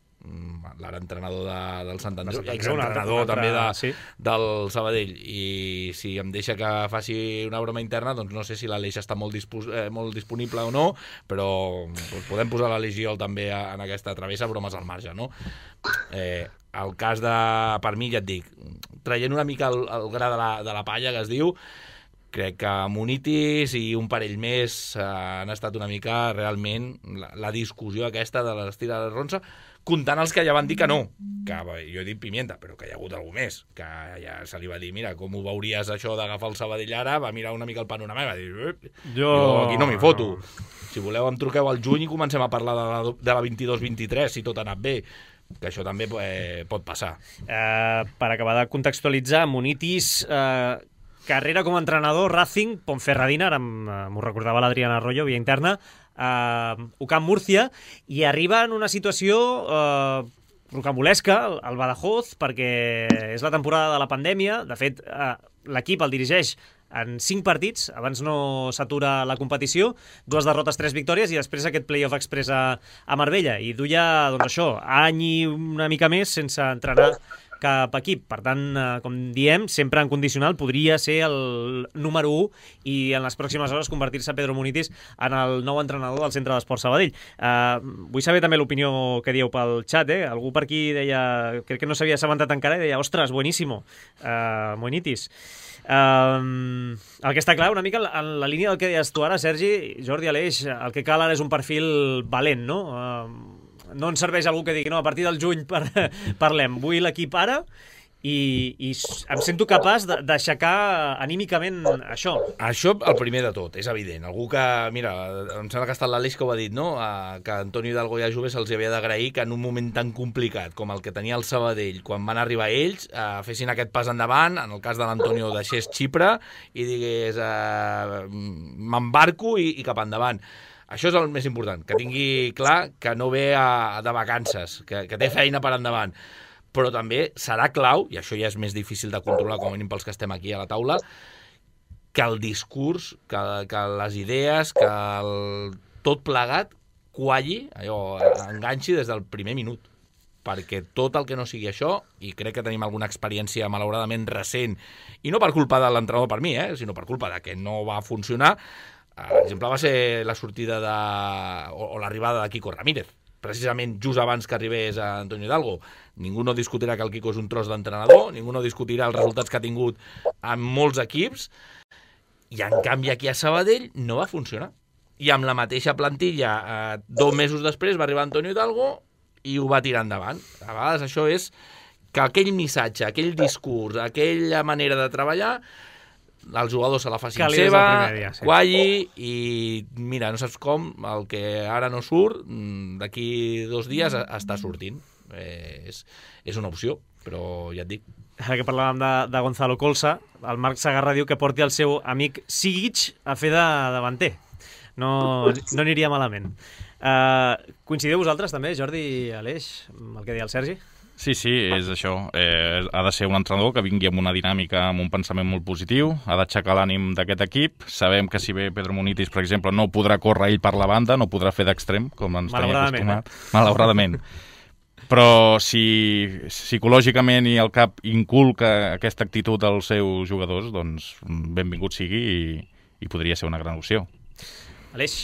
l'ara entrenador del Sant Andreu, exentrenador també del Sabadell, i si em deixa que faci una broma interna, doncs no sé si l'Aleix està molt disponible o no, però podem posar l'Aleix i jo també en aquesta travessa, bromes al marge, no? El cas de, per mi, ja et dic, traient una mica el gra de la palla que es diu, crec que Munitis i un parell més han estat una mica realment la discussió aquesta de l'estira de Ronça, comptant els que ja van dir que no, que jo he dit Pimienta, però que hi ha hagut algú més, que ja se li va dir, mira, com ho veuries això d'agafar el Sabadell ara, va mirar una mica el panorama i va dir, jo aquí no m'hi foto. Si voleu em truqueu al juny i comencem a parlar de la 22-23, si tot ha anat bé, que això també pot passar. Per acabar de contextualitzar, Munitis... carrera com a entrenador, Racing, Ponferradina, ara m'ho recordava l'Adriana Arroyo, via interna, UCAM Múrcia, i arriba en una situació rocambolesca, el Badajoz, perquè és la temporada de la pandèmia. De fet, l'equip el dirigeix en 5 partits, abans no s'atura la competició, 2 derrotes, 3 victòries, i després aquest play-off express a Marbella, i duia, doncs això, any i una mica més sense entrenar cap equip. Per tant, com diem, sempre en condicional podria ser el número 1 i en les pròximes hores convertir-se Pedro Munitis en el nou entrenador del Centre d'Esports Sabadell. Vull saber també l'opinió que dieu pel xat, Algú per aquí deia, crec que no s'havia assabentat encara, i deia, ostres, buenísimo, Munitis. El que està clar, una mica en la línia del que deies tu ara, Sergi, Jordi, Aleix, el que cal ara és un perfil valent, no? No ens serveix algú que digui, no, a partir del juny parlem, vull l'equip ara, i em sento capaç d'aixecar anímicament això. Això el primer de tot, és evident. Algú que, mira, em sembla que ha estat l'Aleix que ho ha dit, no? Que Antonio Hidalgo i a Juve se'ls havia d'agrair que en un moment tan complicat com el que tenia el Sabadell, quan van arribar ells, fessin aquest pas endavant, en el cas de l'Antonio deixés Xipre i digués m'embarco i cap endavant. Això és el més important, que tingui clar que no ve de vacances, que té feina per endavant. Però també serà clau, i això ja és més difícil de controlar, com a mínim pels que estem aquí a la taula, que el discurs, que les idees, que tot plegat qualli, allò, enganxi des del primer minut. Perquè tot el que no sigui això, i crec que tenim alguna experiència malauradament recent, i no per culpa de l'entrenador per mi, sinó per culpa de que no va funcionar, l'exemple va ser la sortida o l'arribada de Quico Ramírez, precisament just abans que arribés a Antonio Hidalgo. Ningú no discutirà que el Quico és un tros d'entrenador, ningú no discutirà els resultats que ha tingut en molts equips, i en canvi aquí a Sabadell no va funcionar. I amb la mateixa plantilla, 2 mesos després va arribar Antonio Hidalgo i ho va tirar endavant. A vegades això és que aquell missatge, aquell discurs, aquella manera de treballar, els jugadors se la facin seva, qualli, i mira, no saps com, el que ara no surt, d'aquí 2 dies està sortint. És una opció, però ja et dic. Ara que parlàvem de Gonzalo Colsa, el Marc Sagarra diu que porti el seu amic Sigic a fer de davanter. No aniria malament. Coincideu vosaltres també, Jordi i Aleix, amb el que deia el Sergi? Sí, és això. Ha de ser un entrenador que vingui amb una dinàmica, amb un pensament molt positiu, ha d'aixecar l'ànim d'aquest equip. Sabem que si ve Pedro Munitis, per exemple, no podrà córrer ell per la banda, no podrà fer d'extrem, com ens tenia acostumat. Malauradament. Però si psicològicament i el cap inculca aquesta actitud als seus jugadors, doncs benvingut sigui i podria ser una gran opció. Aleix?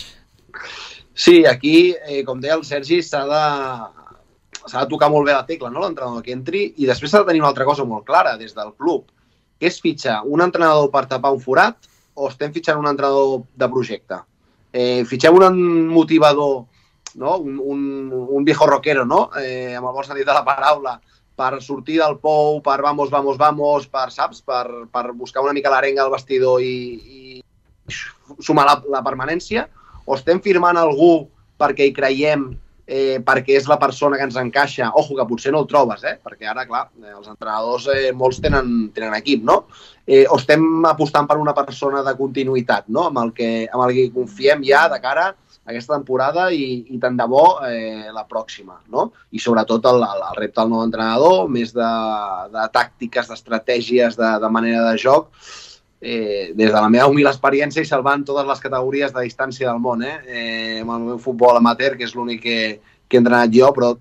Sí, aquí, com deia el Sergi, s'ha de tocar molt bé la tecla, no?, l'entrenador que entri, i després s'ha de tenir una altra cosa molt clara des del club, que és fitxar un entrenador per tapar un forat o estem fitxant un entrenador de projecte. Fitxem un motivador, no?, un viejo rockero, no?, amb el bon sentit de la paraula, per sortir del pou, per vamos, per, saps?, per buscar una mica l'arenga al vestidor i sumar la permanència, o estem firmant algú perquè hi creiem, perquè és la persona que ens encaixa, ojo, que potser no el trobes, perquè ara, clar, els entrenadors molts tenen equip, no? O estem apostant per una persona de continuïtat, no?, amb el que confiem ja de cara a aquesta temporada i tant de bo la pròxima, no? I sobretot el repte del nou entrenador, més de tàctiques, d'estratègies, de manera de joc, des de la meva humil experiència i salvant totes les categories de distància del món, amb el meu futbol amateur, que és l'únic que he entrenat jo, però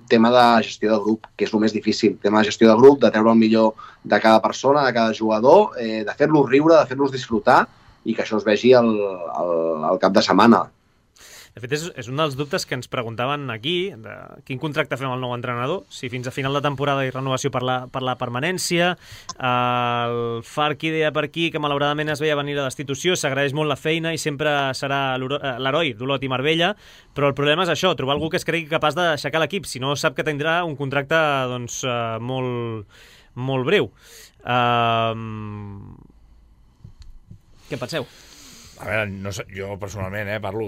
tema de gestió de grup, que és el més difícil, tema de gestió de grup, de treure el millor de cada persona, de cada jugador, de fer-los riure, de fer-los disfrutar i que això es vegi al cap de setmana. De fet, és un dels dubtes que ens preguntaven aquí, de quin contracte fem al nou entrenador, si fins a final de temporada hi renovació per la permanència. El Farqui deia per aquí que malauradament es veia venir la destitució, s'agraeix molt la feina i sempre serà l'heroi d'Olot i Marbella, però el problema és això, trobar algú que es cregui capaç d'aixecar l'equip, si no sap que tindrà un contracte doncs, molt breu. Què penseu? A veure, no sé, jo personalment parlo,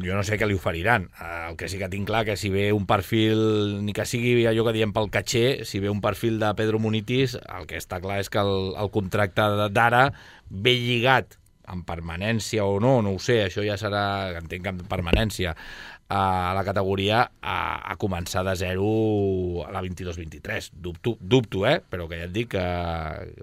jo no sé què li oferiran. El que sí que tinc clar que si ve un perfil, ni que sigui allò que diem pel caché, si ve un perfil de Pedro Munitis, el que està clar és que el contracte d'ara ve lligat amb permanència o no ho sé, això ja serà, entenc que amb permanència, a la categoria a començar de zero a la 22-23. Dubto, però que ja et dic que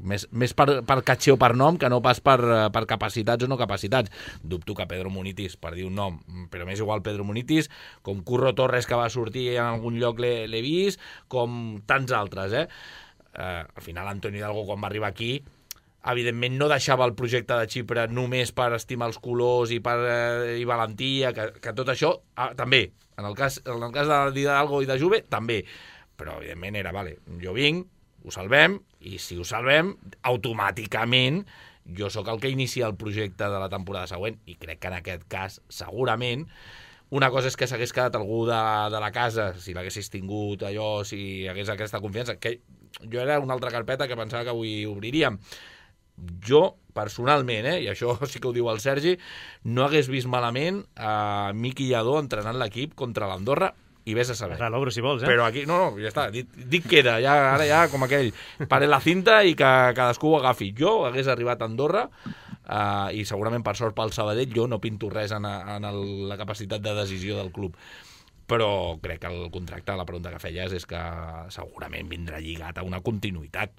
més per caché o per nom que no pas per capacitats o no capacitats. Dubto que Pedro Munitis, per dir un nom, però m'és igual Pedro Munitis, com Curro Torres, que va sortir en algun lloc l'he vist, com tants altres. Al final Antonio Hidalgo, quan va arribar aquí, evidentment no deixava el projecte de Xipre només per estimar els colors i valentia, que tot això també, en el cas d'Hidalgo i de Juve, també, però evidentment era, vale, jo vinc, ho salvem, i si ho salvem, automàticament jo sóc el que inicia el projecte de la temporada següent, i crec que en aquest cas, segurament, una cosa és que s'hagués quedat algú de la casa, si l'haguessis tingut allò, si hagués aquesta confiança, que jo era una altra carpeta que pensava que avui obriríem. Jo, personalment, i això sí que ho diu el Sergi, no hagués vist malament a Miqui Lladó entrenant l'equip contra l'Andorra, i vés a saber. L'obro, si vols, Però aquí, no, ja està, dit queda, ara ja com aquell, pare la cinta i que cadascú ho agafi. Jo hagués arribat a Andorra i segurament per sort pel Sabadell jo no pinto res en la capacitat de decisió del club. Però crec que el contracte, la pregunta que feies, és que segurament vindrà lligat a una continuïtat,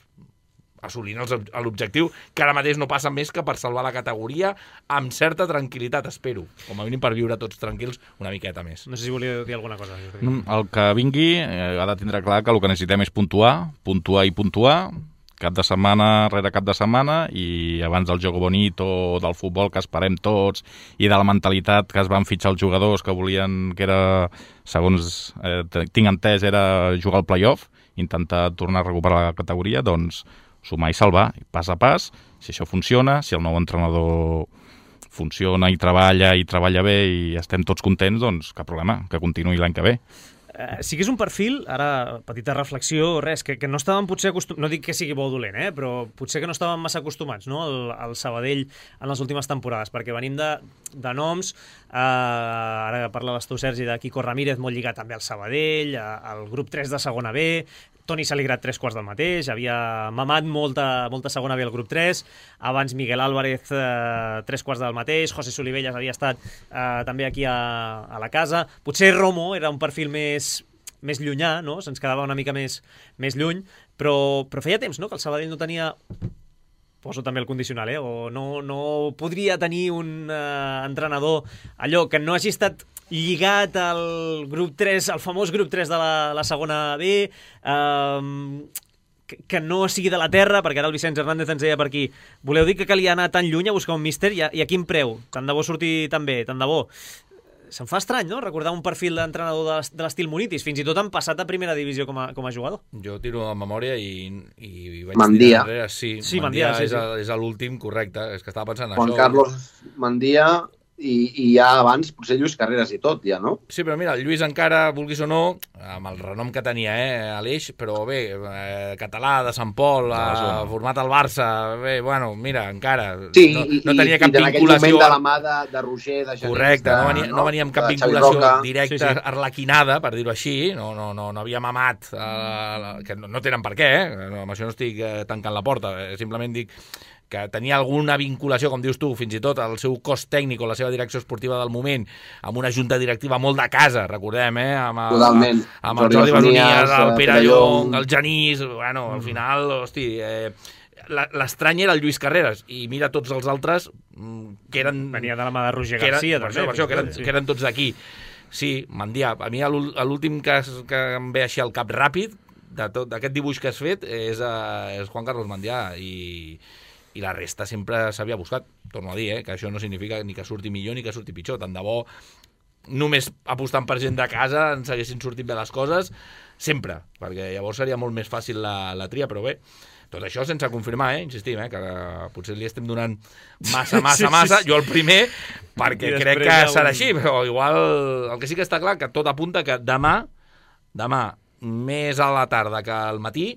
assolint l'objectiu, que ara mateix no passa més que per salvar la categoria amb certa tranquil·litat, espero. Com a mínim per viure tots tranquils una miqueta més. No sé si volia dir alguna cosa. El que vingui ha de tindre clar que el que necessitem és puntuar, cap de setmana rere cap de setmana, i abans del joc bonito, del futbol que esperem tots, i de la mentalitat que es van fitxar els jugadors que volien, que era, segons tinc entès, era jugar al play-off, intentar tornar a recuperar la categoria, doncs sumar i salvar, pas a pas. Si això funciona, si el nou entrenador funciona i treballa bé i estem tots contents, doncs cap problema, que continuï l'any que ve. sí que és un perfil, ara, petita reflexió, res, que no estàvem potser acostumats, no dic que sigui bo o dolent, però potser que no estàvem massa acostumats, no?, al Sabadell en les últimes temporades, perquè venim de noms, ara parlaves tu, Sergi, de Quico Ramírez, molt lligat també al Sabadell, al grup 3 de segona B, Toni Saligrat 3/4 del mateix, havia mamat molta segona B al grup 3, abans Miguel Álvarez 3/4 del mateix, José Solivelles havia estat també aquí a la casa, potser Romo era un perfil més llunyà, no? Se'ns quedava una mica més lluny, però feia temps, no?, que el Sabadell no tenia, poso també el condicional, o no podria tenir un entrenador allò que no hagi estat lligat al grup 3, al famós grup 3 de la segona B, que no sigui de la terra, perquè ara el Vicenç Hernández ens deia per aquí, voleu dir que calia anar tan lluny a buscar un míster i a quin preu? Tant de bo surti tan bé, tant de bo. Se'm fa estrany, no?, recordar un perfil d'entrenador de l'estil Munitis, fins i tot han passat a primera divisió com a jugador. Jo tiro la memòria i vaig Mandia. tirar enrere. Sí, Mandia és l'últim, correcte. És que estava pensant en Juan això. Carlos Mandia i ja abans potser Lluís Carreras i tot, ja, no? Sí, però mira, el Lluís encara, vulguis o no, amb el renom que tenia, Aleix, però bé, català, de Sant Pol, format al Barça, bé, bueno, mira, encara, Sí, no tenia cap i en aquell vinculació. moment de la mà de Roger, de Genís... Correcte, no venia amb cap de Xavi vinculació Roca. directa, arlequinada, per dir-ho així, no havia mamat, que no tenen per què, amb això no estic tancant la porta, simplement dic que tenia alguna vinculació, com dius tu, fins i tot el seu cos tècnic o la seva direcció esportiva del moment, amb una junta directiva molt de casa, recordem, Totalment. amb el Jordi Besonies, el Pere Llong, el Genís, bueno, al final, hosti, l'estrany era el Lluís Carreras, i mira tots els altres que eren... Venia de la mà de Roger Garcia, per això, que eren tots d'aquí. Sí, Mandià, a mi l'últim que em ve així al cap ràpid, d'aquest dibuix que has fet, és Juan Carlos Mandià, i la resta sempre s'havia buscat. Torno a dir, que això no significa ni que surti millor ni que surti pitjor. Tant de bo, només apostant per gent de casa ens haguessin sortit bé les coses, sempre, perquè llavors seria molt més fàcil la tria, però bé, tot això sense confirmar, insistim, que potser li estem donant massa, jo el primer, perquè crec que serà així, però igual el que sí que està clar, que tot apunta que demà, més a la tarda que al matí,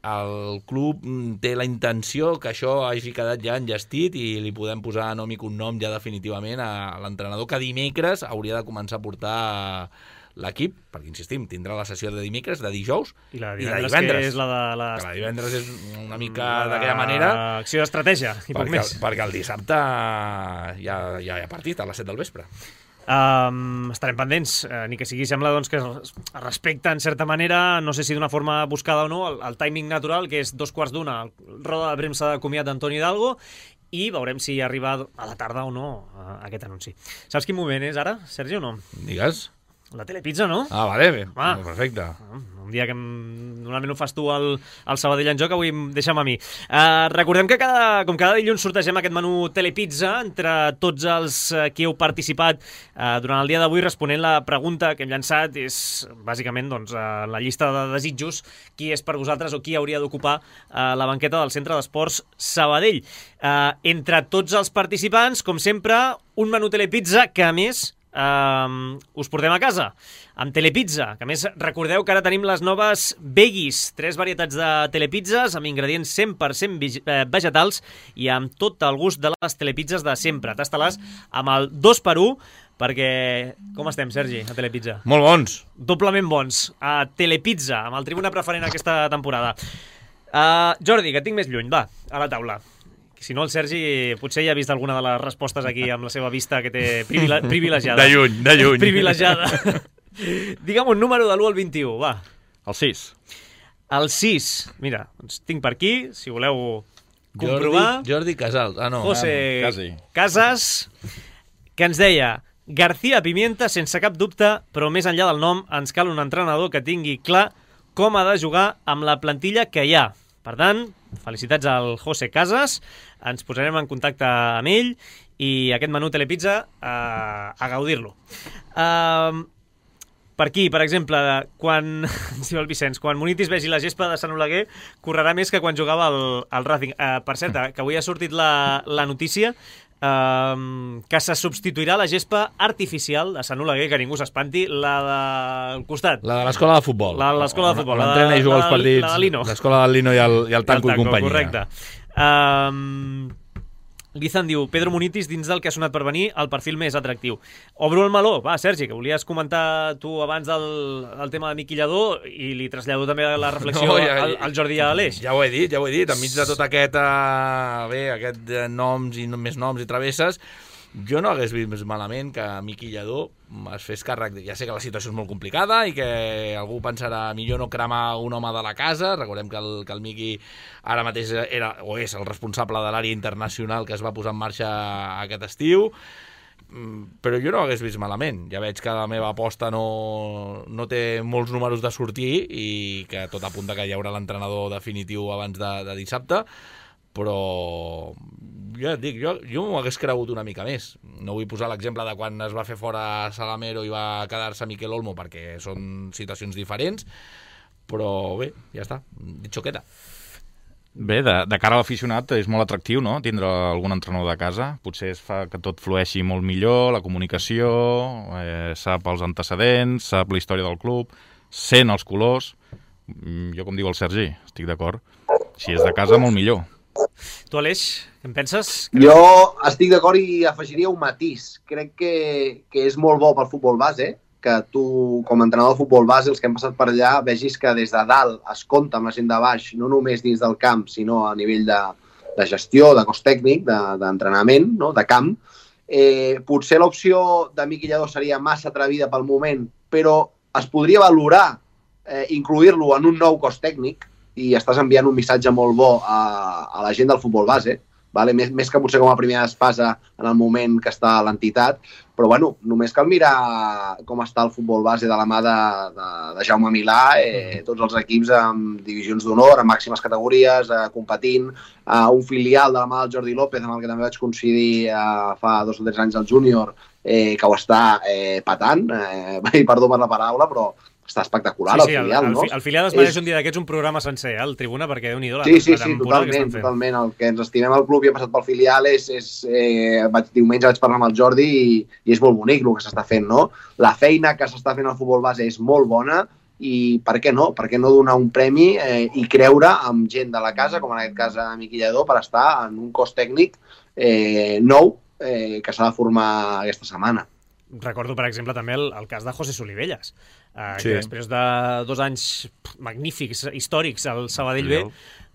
el club té la intenció que això hagi quedat ja enllestit i li podem posar nom i cognom ja definitivament a l'entrenador que dimecres hauria de començar a portar l'equip, perquè insistim, tindrà la sessió de dimecres, de dijous i la divendres. Que és la divendres és una mica d'aquella manera. Acció d'estratègia, i poc més. Perquè el dissabte ja hi ha partit a les 7 del vespre. Estarem pendents, ni que sigui sembla doncs, que es respecta en certa manera, no sé si d'una forma buscada o no, el timing natural, que és 2:15, roda de premsa de comiat d'Antoni Hidalgo, i veurem si arriba a la tarda o no aquest anunci. Saps quin moment és ara, Sergi, o no? Digues. La Telepizza, no? Ah, vale, bé. Perfecte. Un dia que normalment ho fas tu al Sabadell en Joc, avui deixa'm a mi. Recordem que com cada dilluns sortegem aquest menú Telepizza entre tots els qui heu participat durant el dia d'avui responent la pregunta que hem llançat. És bàsicament doncs, la llista de desitjos, qui és per vosaltres o qui hauria d'ocupar la banqueta del Centre d'Esports Sabadell. Entre tots els participants, com sempre, un menú Telepizza que, a més, us portem a casa amb Telepizza, que a més recordeu que ara tenim les noves veggies, 3 varietats de telepizzas amb ingredients 100% vegetals i amb tot el gust de les telepizzas de sempre. Tasta-les amb el 2x1 perquè, com estem, Sergi, a Telepizza? Molt bons. Doblement bons. A Telepizza, amb el Tribuna preferent aquesta temporada. Jordi, que et tinc més lluny, va, a la taula. Si no, el Sergi potser ja ha vist alguna de les respostes aquí amb la seva vista que té privilegiada. De lluny. Privilegiada. Digue'm un número de l'1 al 21, va. El 6. El 6. Mira, doncs tinc per aquí, si voleu comprovar. Jordi Casals. Ah, no. José quasi. Casas, que ens deia García Pimienta, sense cap dubte, però més enllà del nom, ens cal un entrenador que tingui clar com ha de jugar amb la plantilla que hi ha. Per tant, felicitats al José Casas, ens posarem en contacte amb ell i aquest menú Telepizza a gaudir-lo. Per aquí, per exemple, quan diu el Vicenç, quan Munitis vegi la gespa de Sant Oleguer, correrà més que quan jugava al Racing. Per cert, que avui ha sortit la notícia que se substituirà la gespa artificial de Sant Oleguer, que ningú s'espanti, la del costat. La de l'escola de futbol. La de l'escola de futbol. L'entrena i juga els partits. La de Lino. L'escola del Lino i el Tanco i companyia. Correcte. Guizan diu, Pedro Munitis, dins del que ha sonat per venir, el perfil més atractiu. Obro el meló. Va, Sergi, que volies comentar tu abans del tema de Miqui Lladó i li trasllado també la reflexió al Jordi i a l'Aleix. Ja ho he dit. Enmig de tot aquest noms i més noms i travesses, jo no hagués vist malament que Miqui Lladó es fes càrrec. Ja sé que la situació és molt complicada i que algú pensarà millor no cremar un home de la casa. Recordem que el Miqui ara mateix era o és el responsable de l'àrea internacional que es va posar en marxa aquest estiu, però jo no ho hagués vist malament. Ja veig que la meva aposta no té molts números de sortir i que tot apunta que hi haurà l'entrenador definitiu abans de dissabte, però ja et dic, jo m'ho hagués cregut una mica més. No vull posar l'exemple de quan es va fer fora Salamero i va quedar-se Miquel Olmo, perquè són situacions diferents, però bé, ja està, dit xoqueta. Bé, de cara a l'aficionat és molt atractiu, no?, tindre algun entrenador de casa. Potser es fa que tot flueixi molt millor, la comunicació, sap els antecedents, sap la història del club, sent els colors. Jo, com diu el Sergi, estic d'acord. Si és de casa, molt millor. Tu, Aleix, què en penses? Jo estic d'acord i afegiria un matís. Crec que és molt bo pel futbol base, que tu, com a entrenador de futbol base, els que hem passat per allà, vegis que des de dalt es compta amb la gent de baix, no només dins del camp, sinó a nivell de gestió, de cos tècnic, d'entrenament, no? De camp. Potser l'opció de Miqui Lladó seria massa atrevida pel moment, però es podria valorar incluir-lo en un nou cos tècnic i estàs enviant un missatge molt bo a la gent del futbol base, vale? Més que potser com a primera espasa en el moment que està a l'entitat, però bueno, només cal mirar com està el futbol base de la mà de Jaume Milà, tots els equips amb divisions d'honor, amb màximes categories, competint, un filial de la mà del Jordi López, amb el que també vaig coincidir fa 2 o 3 anys al júnior, que ho està patant, i perdó per la paraula, però està espectacular, el filial, no? El filial es mereix un dia d'aquests un programa sencer, el Tribuna, perquè Déu-n'hi-do la temporada que estan fent. Totalment. El que ens estimem al club i ha passat pel filial diumenge vaig parlar amb el Jordi i és molt bonic el que s'està fent, no? La feina que s'està fent al futbol base és molt bona i per què no? Per què no donar un premi i creure amb gent de la casa, com en aquest cas a Miqui Lladó, per estar en un cos tècnic nou que s'ha de formar aquesta setmana. Recordo, per exemple, també el cas de José Solivelles, que després de 2 anys magnífics, històrics al Sabadell B,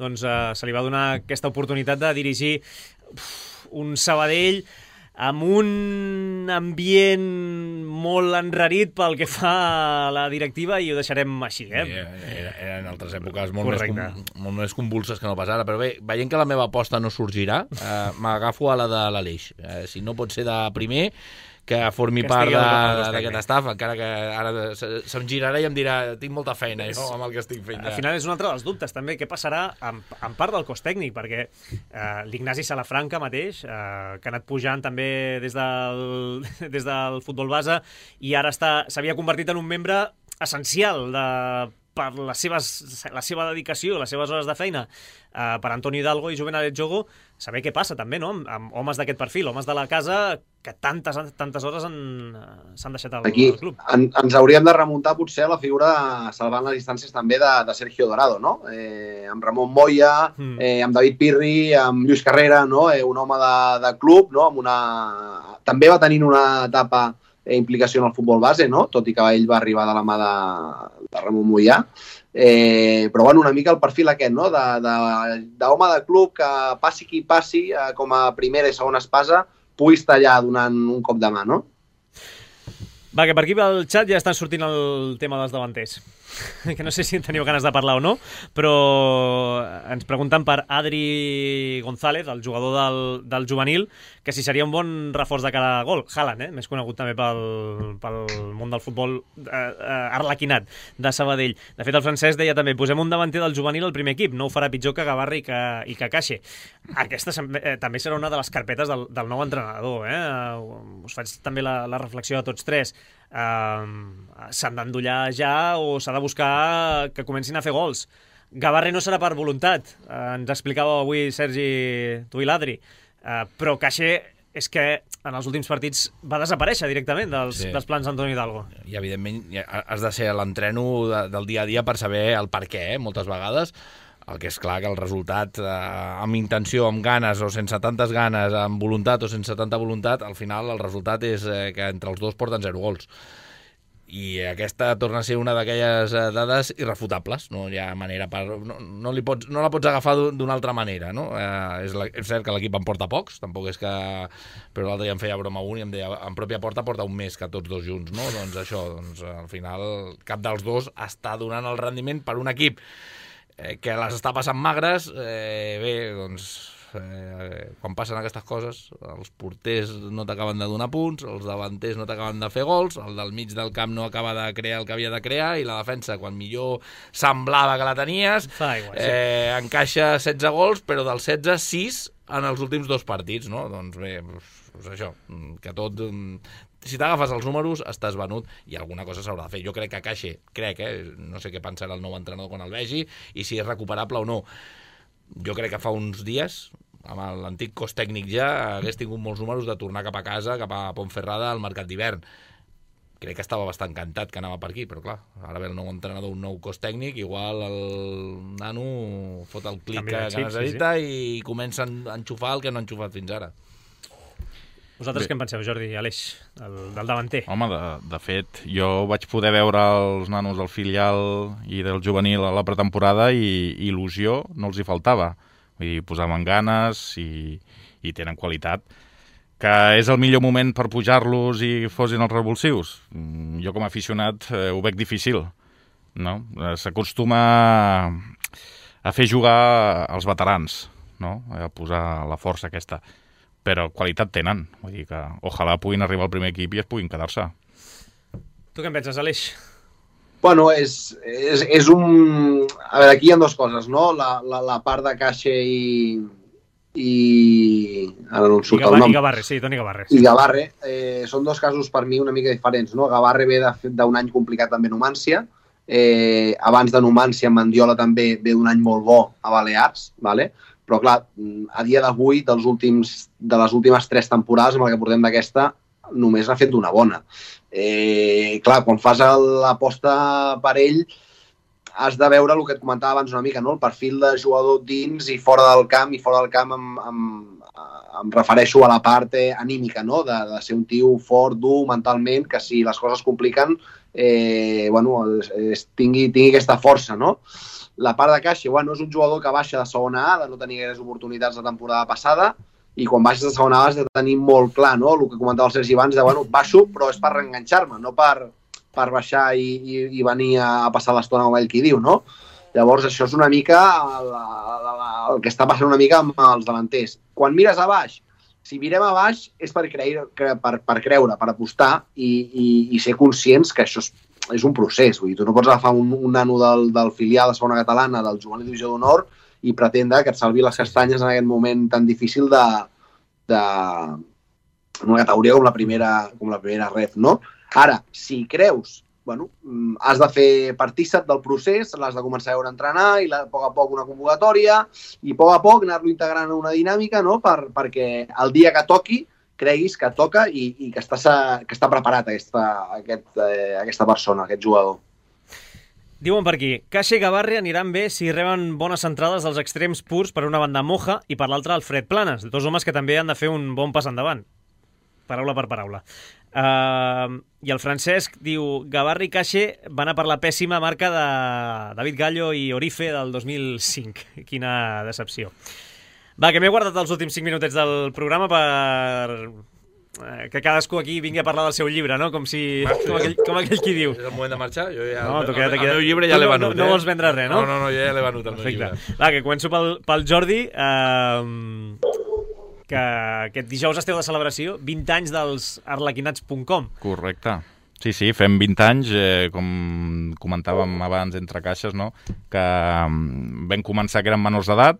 doncs se li va donar aquesta oportunitat de dirigir un Sabadell amb un ambient molt enrarit pel que fa a la directiva i ho deixarem així. Eren altres èpoques molt més convulses que no pas ara, però bé, veient que la meva aposta no sorgirà, m'agafo a la de l'Aleix. Si no pot ser de primer, que formi part d'aquest staff, encara que ara se'm girarà i em dirà tinc molta feina jo amb el que estic fent. Al final és un altre dels dubtes també, què passarà en part del cos tècnic, perquè l'Ignasi Salafranca mateix, que ha anat pujant també des del futbol base i ara s'havia convertit en un membre essencial per la seva dedicació, les seves hores de feina, per Antonio Hidalgo i Juvenal Jogo, saber què passa també, no?, amb homes d'aquest perfil, homes de la casa que tantes hores s'han deixat al club. Ens hauríem de remuntar potser a la figura, salvant les distàncies també, de Sergio Dorado, no? Amb Ramon Moya, amb David Pirri, amb Lluís Carrera, no? Un home de club, no? També va tenint una etapa implicació en el futbol base, no? Tot i que ell va arribar de la mà de Ramon Moya. Però bueno, una mica el perfil aquest, no? D'home de club que passi qui passi, com a primera i segona espasa, pugui estar allà donant un cop de mà, no? Va, que per aquí al xat ja estan sortint el tema dels davanters, que no sé si en teniu ganes de parlar o no, però ens pregunten per Adri González, el jugador del juvenil, que si seria un bon reforç de cara a gol. Haaland, més conegut també pel món del futbol arlequinat de Sabadell. De fet, el francès deia també, posem un davanter del juvenil al primer equip, no ho farà pitjor que Gavarra i que Caixe. Aquesta també serà una de les carpetes del nou entrenador. Us faig també la reflexió a tots tres. S'han d'endollar ja o s'ha de buscar que comencin a fer gols. Gavarra no serà per voluntat, ens explicava avui Sergi, tu i l'Adri, però Caixa és que en els últims partits va desaparèixer directament dels plans d'Antoni Hidalgo. I evidentment has de ser a l'entreno del dia a dia per saber el per què, moltes vegades. El que és clar que el resultat, amb intenció, amb ganes o sense tantes ganes, amb voluntat o sense tanta voluntat, al final el resultat és que entre els dos porten 0 gols. I aquesta torna a ser una d'aquelles dades irrefutables, no hi ha manera no la pots agafar d'una altra manera, no? És cert que l'equip en porta pocs, tampoc és que... Però l'altre dia em feia broma un i em deia en pròpia porta porta un més que tots dos junts, no? Doncs això, al final cap dels dos està donant el rendiment per un equip que les està passant magres. Bé, doncs... quan passen aquestes coses, els porters no t'acaben de donar punts, els davanters no t'acaben de fer gols, el del mig del camp no acaba de crear el que havia de crear, i la defensa, quan millor semblava que la tenies, encaixa 16 gols, però dels 16, 6 en els últims 2 partits, no? Doncs bé, doncs això, que tot... Si t'agafes els números, estàs venut i alguna cosa s'haurà de fer. Jo crec que Caixe, no sé què pensarà el nou entrenador quan el vegi i si és recuperable o no. Jo crec que fa uns dies, amb l'antic cos tècnic ja, hagués tingut molts números de tornar cap a casa, cap a Pontferrada, al mercat d'hivern. Crec que estava bastant encantat que anava per aquí, però clar, ara ve el nou entrenador, un nou cos tècnic, igual el nano fot el clic que necessita i comença a enxufar el que no ha enxufat fins ara. Vosaltres què en penseu, Jordi i Aleix, del davanter? Home, de fet, jo vaig poder veure els nanos del filial i del juvenil a la pretemporada i il·lusió no els hi faltava. Vull dir, posaven ganes i tenen qualitat. Que és el millor moment per pujar-los i fossin els revulsius? Jo com a aficionat ho veig difícil, no? S'acostuma a fer jugar els veterans, no? A posar la força aquesta. Però qualitat tenen. Vull dir que ojalà puguin arribar al primer equip i es puguin quedar-se. Tu què en penses, Aleix? Bueno, és un... A veure, aquí hi ha 2 coses, no? La part de Caixa i... Ara no em surt el nom. I Gavarre, sí, Toni Gavarre. I Gavarre. Són 2 casos per mi una mica diferents, no? Gavarre ve d'un any complicat també a Numància. Abans de Numància, Mandiola també ve d'un any molt bo a Balears, ¿vale? Però clar, a dia d'avui, de les últimes 3 temporades, amb el que portem d'aquesta, només n'ha fet d'una bona. Clar, quan fas l'aposta per ell, has de veure el que et comentava abans una mica, no? El perfil de jugador dins i fora del camp, em refereixo a la part anímica, no? De ser un tio fort, dur, mentalment, que si les coses es compliquen, tingui aquesta força, no? La part de Caixa, és un jugador que baixa de segona A, de no tenir gaires oportunitats la temporada passada, i quan baixes de segona A has de tenir molt clar, no? El que comentava el Sergi abans, baixo, però és per reenganxar-me, no per baixar i venir a passar l'estona amb ell qui diu, no? Llavors, això és una mica el que està passant una mica amb els davanters. Quan mires a baix, si mirem a baix és per creure, per apostar i ser conscients que això és un procés. Vull dir, tu no pots agafar un nano del filial de segona catalana, del juvenil divisió d'honor, i pretendre que et salvi les castanyes en aquest moment tan difícil d'una categoria com la primera ref, no? Ara, si creus, has de fer partícip del procés, l'has de començar a veure entrenar i a poc una convocatòria i a poc anar-lo integrant en una dinàmica, no? Perquè el dia que toqui creguis que toca i que està preparat aquesta persona, aquest jugador. Diuen per aquí, Caixa i Gavarre aniran bé si reben bones entrades dels extrems purs per una banda Moja i per l'altra Alfred Planes, 2 homes que també han de fer un bon pas endavant. Paraula per paraula. I el Francesc diu, Gavarre i Caixa van a per la pèssima marca de David Gallo i Orife del 2005. Quina decepció. Va, que m'he guardat els últims 5 minutets del programa per que cadascú aquí vingui a parlar del seu llibre, no? Com aquell qui diu. És el moment de marxar? Jo ja, no, el meu llibre ja l'he venut. No vols vendre res, no? No, jo ja l'he venut, el meu llibre. Va, que començo pel Jordi, que aquest dijous esteu de celebració, 20 anys dels arlequinats.com. Correcte. Sí, fem 20 anys, com comentàvem abans entre caixes, no? Que vam començar que eren menors d'edat,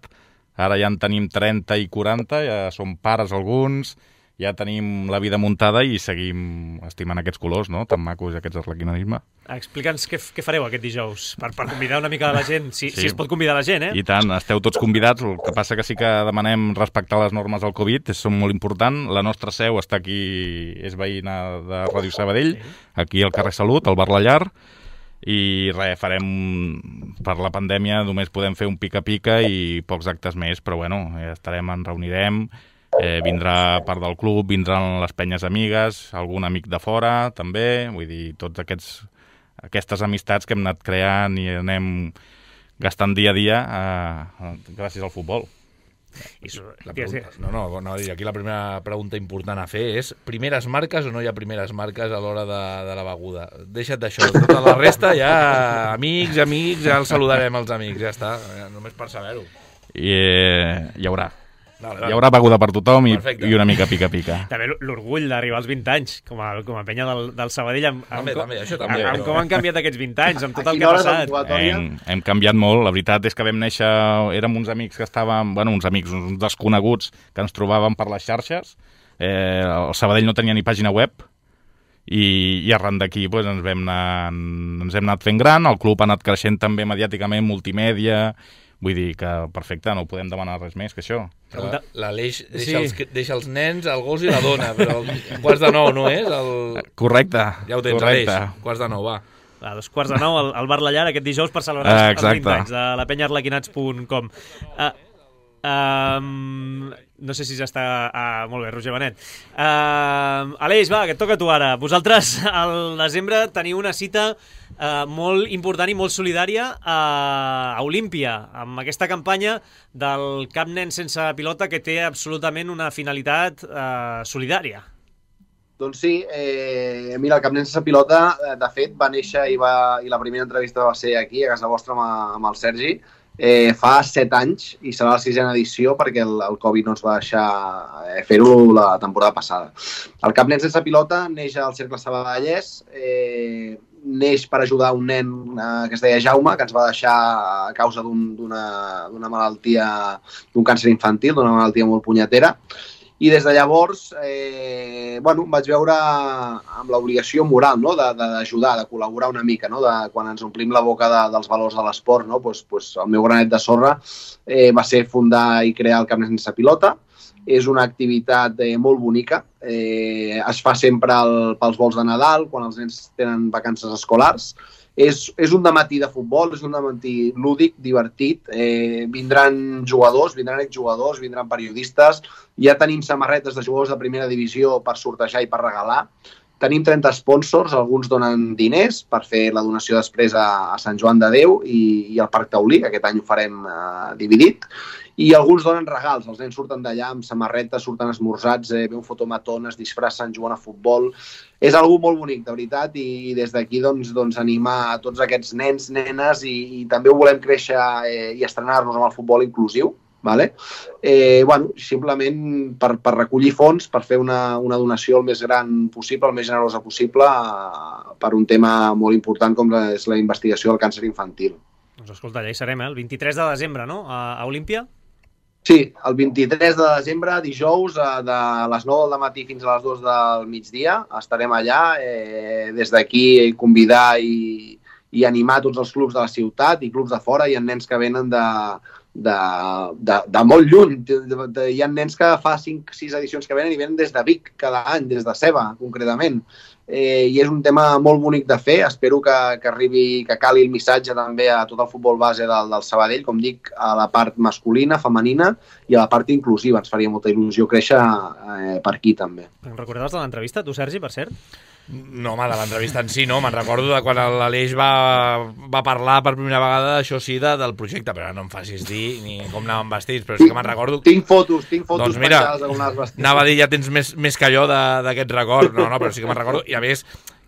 ara ja en tenim 30 i 40, ja som pares alguns, ja tenim la vida muntada i seguim estimant aquests colors, no? Tan macos, aquests arlequinanisme. Explica'ns què fareu aquest dijous, per convidar una mica la gent, si es pot convidar la gent, I tant, esteu tots convidats, el que passa que sí que demanem respectar les normes del Covid, són molt important. La nostra seu està aquí, és veïna de Ràdio Sabadell, aquí al carrer Salut, al Bar La Llar, i res, farem, per la pandèmia només podem fer un pica-pica i pocs actes més, però bueno, ens reunirem, vindrà part del club, vindran les penyes amigues, algun amic de fora també, vull dir, tots aquestes amistats que hem anat creant i anem gastant dia a dia gràcies al futbol. Aquí la primera pregunta important a fer és primeres marques o no hi ha primeres marques a l'hora de la beguda? Deixa't d'això, tota la resta ja amics, ja els saludarem els amics, ja està, només per saber-ho. Hi haurà. Hi haurà beguda per tothom i una mica pica-pica. També l'orgull d'arribar als 20 anys, com a penya del Sabadell, amb com han canviat aquests 20 anys, amb tot el que ha passat. Hem canviat molt, la veritat és que vam néixer, érem uns amics que estàvem, uns desconeguts que ens trobàvem per les xarxes, el Sabadell no tenia ni pàgina web, i arran d'aquí ens hem anat fent gran, el club ha anat creixent també mediàticament, multimèdia. Vull dir que, perfecte, no podem demanar res més que això. L'Aleix deixa els nens, el gos i la dona, però 8:45, no és? Correcte. Ja ho tens, Aleix, 8:45, va. A 8:45 al Bar La Llar aquest dijous per celebrar els 20 anys de la penyarlequinats.com. No sé si ja està... molt bé, Roger Benet. Aleix, va, que et toca a tu ara. Vosaltres al desembre teniu una cita molt important i molt solidària a Olímpia, amb aquesta campanya del Cap Nen Sense Pilota que té absolutament una finalitat solidària. Doncs sí, mira, el Cap Nen Sense Pilota, de fet, va néixer i la primera entrevista va ser aquí, a casa vostra, amb el Sergi, fa 7 anys i serà la 6ª edició perquè el Covid no ens va deixar fer-ho la temporada passada. El Cap Nen Sense Pilota neix al Cercle Sabadellès, neix per ajudar un nen que es deia Jaume, que ens va deixar a causa d'una malaltia, d'un càncer infantil, d'una malaltia molt punyetera. I des de llavors vaig veure amb l'obligació moral d'ajudar, de col·laborar una mica, quan ens omplim la boca dels valors de l'esport. El meu granet de sorra va ser fundar i crear el Cap Nen Sense Pilota. És una activitat molt bonica. Es fa sempre pels vols de Nadal, quan els nens tenen vacances escolars. És un dematí de futbol, és un dematí lúdic, divertit. Vindran jugadors, vindran exjugadors, vindran periodistes. Ja tenim samarretes de jugadors de primera divisió per sortejar i per regalar. Tenim 30 sponsors, alguns donen diners per fer la donació després a Sant Joan de Déu i al Parc Taulí, que aquest any ho farem dividit. I alguns donen regals, els nens surten d'allà amb samarretes, surten esmorzats, ve un fotomaton, es disfressen, juguen a futbol. És algo molt bonic, de veritat, i des d'aquí animar a tots aquests nens, nenes, i també ho volem créixer i estrenar-nos amb el futbol inclusiu. Simplement per recollir fons, per fer una donació el més gran possible, el més generosa possible, per un tema molt important com és la investigació del càncer infantil. Doncs escolta, allà hi serem, el 23 de desembre, no?, a Olímpia? Sí, el 23 de desembre, dijous, de les 9 del matí fins a les 2 del migdia, estarem allà. Des d'aquí convidar i animar tots els clubs de la ciutat i clubs de fora. Hi ha nens que venen de molt lluny. Hi ha nens que fa 5-6 edicions que venen i venen des de Vic cada any, des de Ceba, concretament. I és un tema molt bonic de fer. Espero que arribi, que cali el missatge també a tot el futbol base del Sabadell, com dic, a la part masculina, femenina i a la part inclusiva. Ens faria molta il·lusió créixer per aquí també. Em recordaves de l'entrevista, tu, Sergi, per cert? No, home, de l'entrevista en si no. Me'n recordo de quan l'Aleix va parlar per primera vegada, això sí, del projecte, però no em facis dir ni com anàvem vestits, però sí que me'n recordo... Tinc fotos doncs mira, anava a dir, ja tens més que jo d'aquest record, no, però sí que me'n recordo, i a més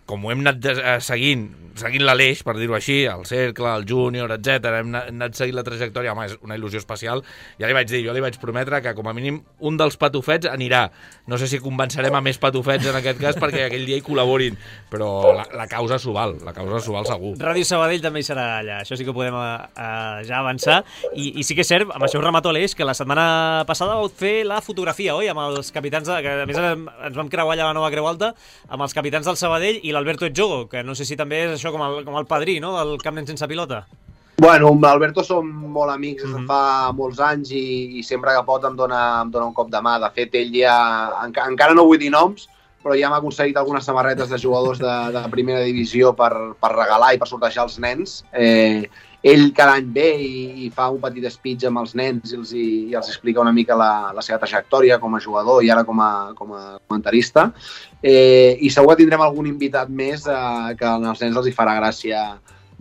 com ho hem anat seguint l'Aleix, per dir-ho així, el Cercle, el Júnior, etc. Hem anat seguint la trajectòria, home, és una il·lusió especial. Ja li vaig dir, jo li vaig prometre que com a mínim un dels patufets anirà. No sé si convencerem a més patufets en aquest cas perquè aquell dia hi col·laborin, però la causa s'ho val, segur. Ràdio Sabadell també hi serà allà, això sí que podem ja avançar. I sí que és cert, amb això ho remato Aleix, que la setmana passada vau fer la fotografia, oi? Amb els capitans, que a més ens vam creuar allà a la nova Creu Alta, amb els capitans del Sabadell i l'Alberto Etjogo, que no sé si també és això com el padrí, no?, del Camp Nen sense pilota. Bueno, amb l'Alberto som molt amics des de fa molts anys i sempre que pot em dona un cop de mà. De fet, ell ja, encara no vull dir noms, però ja m'ha aconseguit algunes samarretes de jugadors de primera divisió per regalar i per sortejar als nens. Ell cada any ve i fa un petit speech amb els nens i els explica una mica la seva trajectòria com a jugador i ara com a comentarista. I segur que tindrem algun invitat més que als nens els hi farà gràcia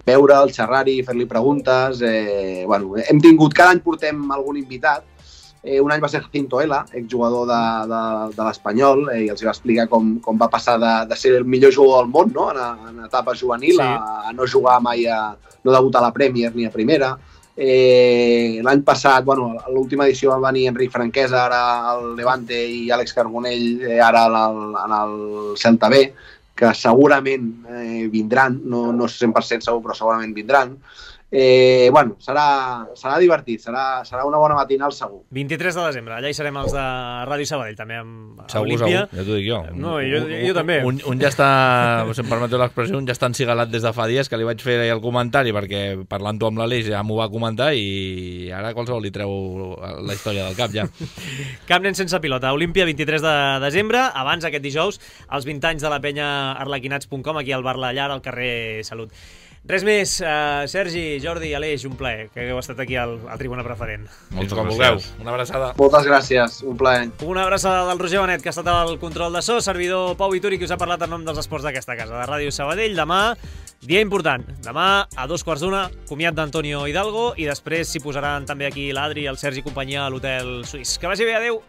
veure'l, xerrar-hi, fer-li preguntes. Hem tingut, cada any portem algun invitat. Un any va ser Jacinto Ela, exjugador de l'Espanyol, i els va explicar com va passar de ser el millor jugador del món, no?, en etapa juvenil, a no jugar mai, no debutar a la Premier ni a primera. L'any passat, l'última edició va venir Enric Franquesa, ara al Levante, i Àlex Carbonell, ara en el Celta B, que segurament vindran, no 100% segur, però segurament vindran. Serà divertit, serà una bona matinal segur. 23 de desembre, allà hi serem els de Ràdio Sabadell, també amb Segur, Olímpia. ja t'ho dic jo. No, jo també. Un ja està, si em permeteu l'expressió, un ja està encigalat des de fa dies, que li vaig fer el comentari, perquè parlant-ho amb l'Aleix ja m'ho va comentar i ara qualsevol li treu la història del cap, ja. Camp Nen sense pilota, Olímpia, 23 de desembre, abans aquest dijous, els 20 anys de la penya arlequinats.com, aquí al Bar La Llar, al carrer Salut. Res més, Sergi, Jordi, Aleix, un plaer que hagueu estat aquí al Tribuna Preferent. Moltes gràcies. Una abraçada. Moltes gràcies, un plaer. Una abraçada del Roger Benet, que ha estat al control de so, servidor Pau Vituri, que us ha parlat en nom dels esports d'aquesta casa, de Ràdio Sabadell. Demà, dia important. Demà, a 2:15, comiat d'Antonio Hidalgo, i després s'hi posaran també aquí l'Adri, el Sergi i companyia a l'Hotel Suís. Que vagi bé, adeu!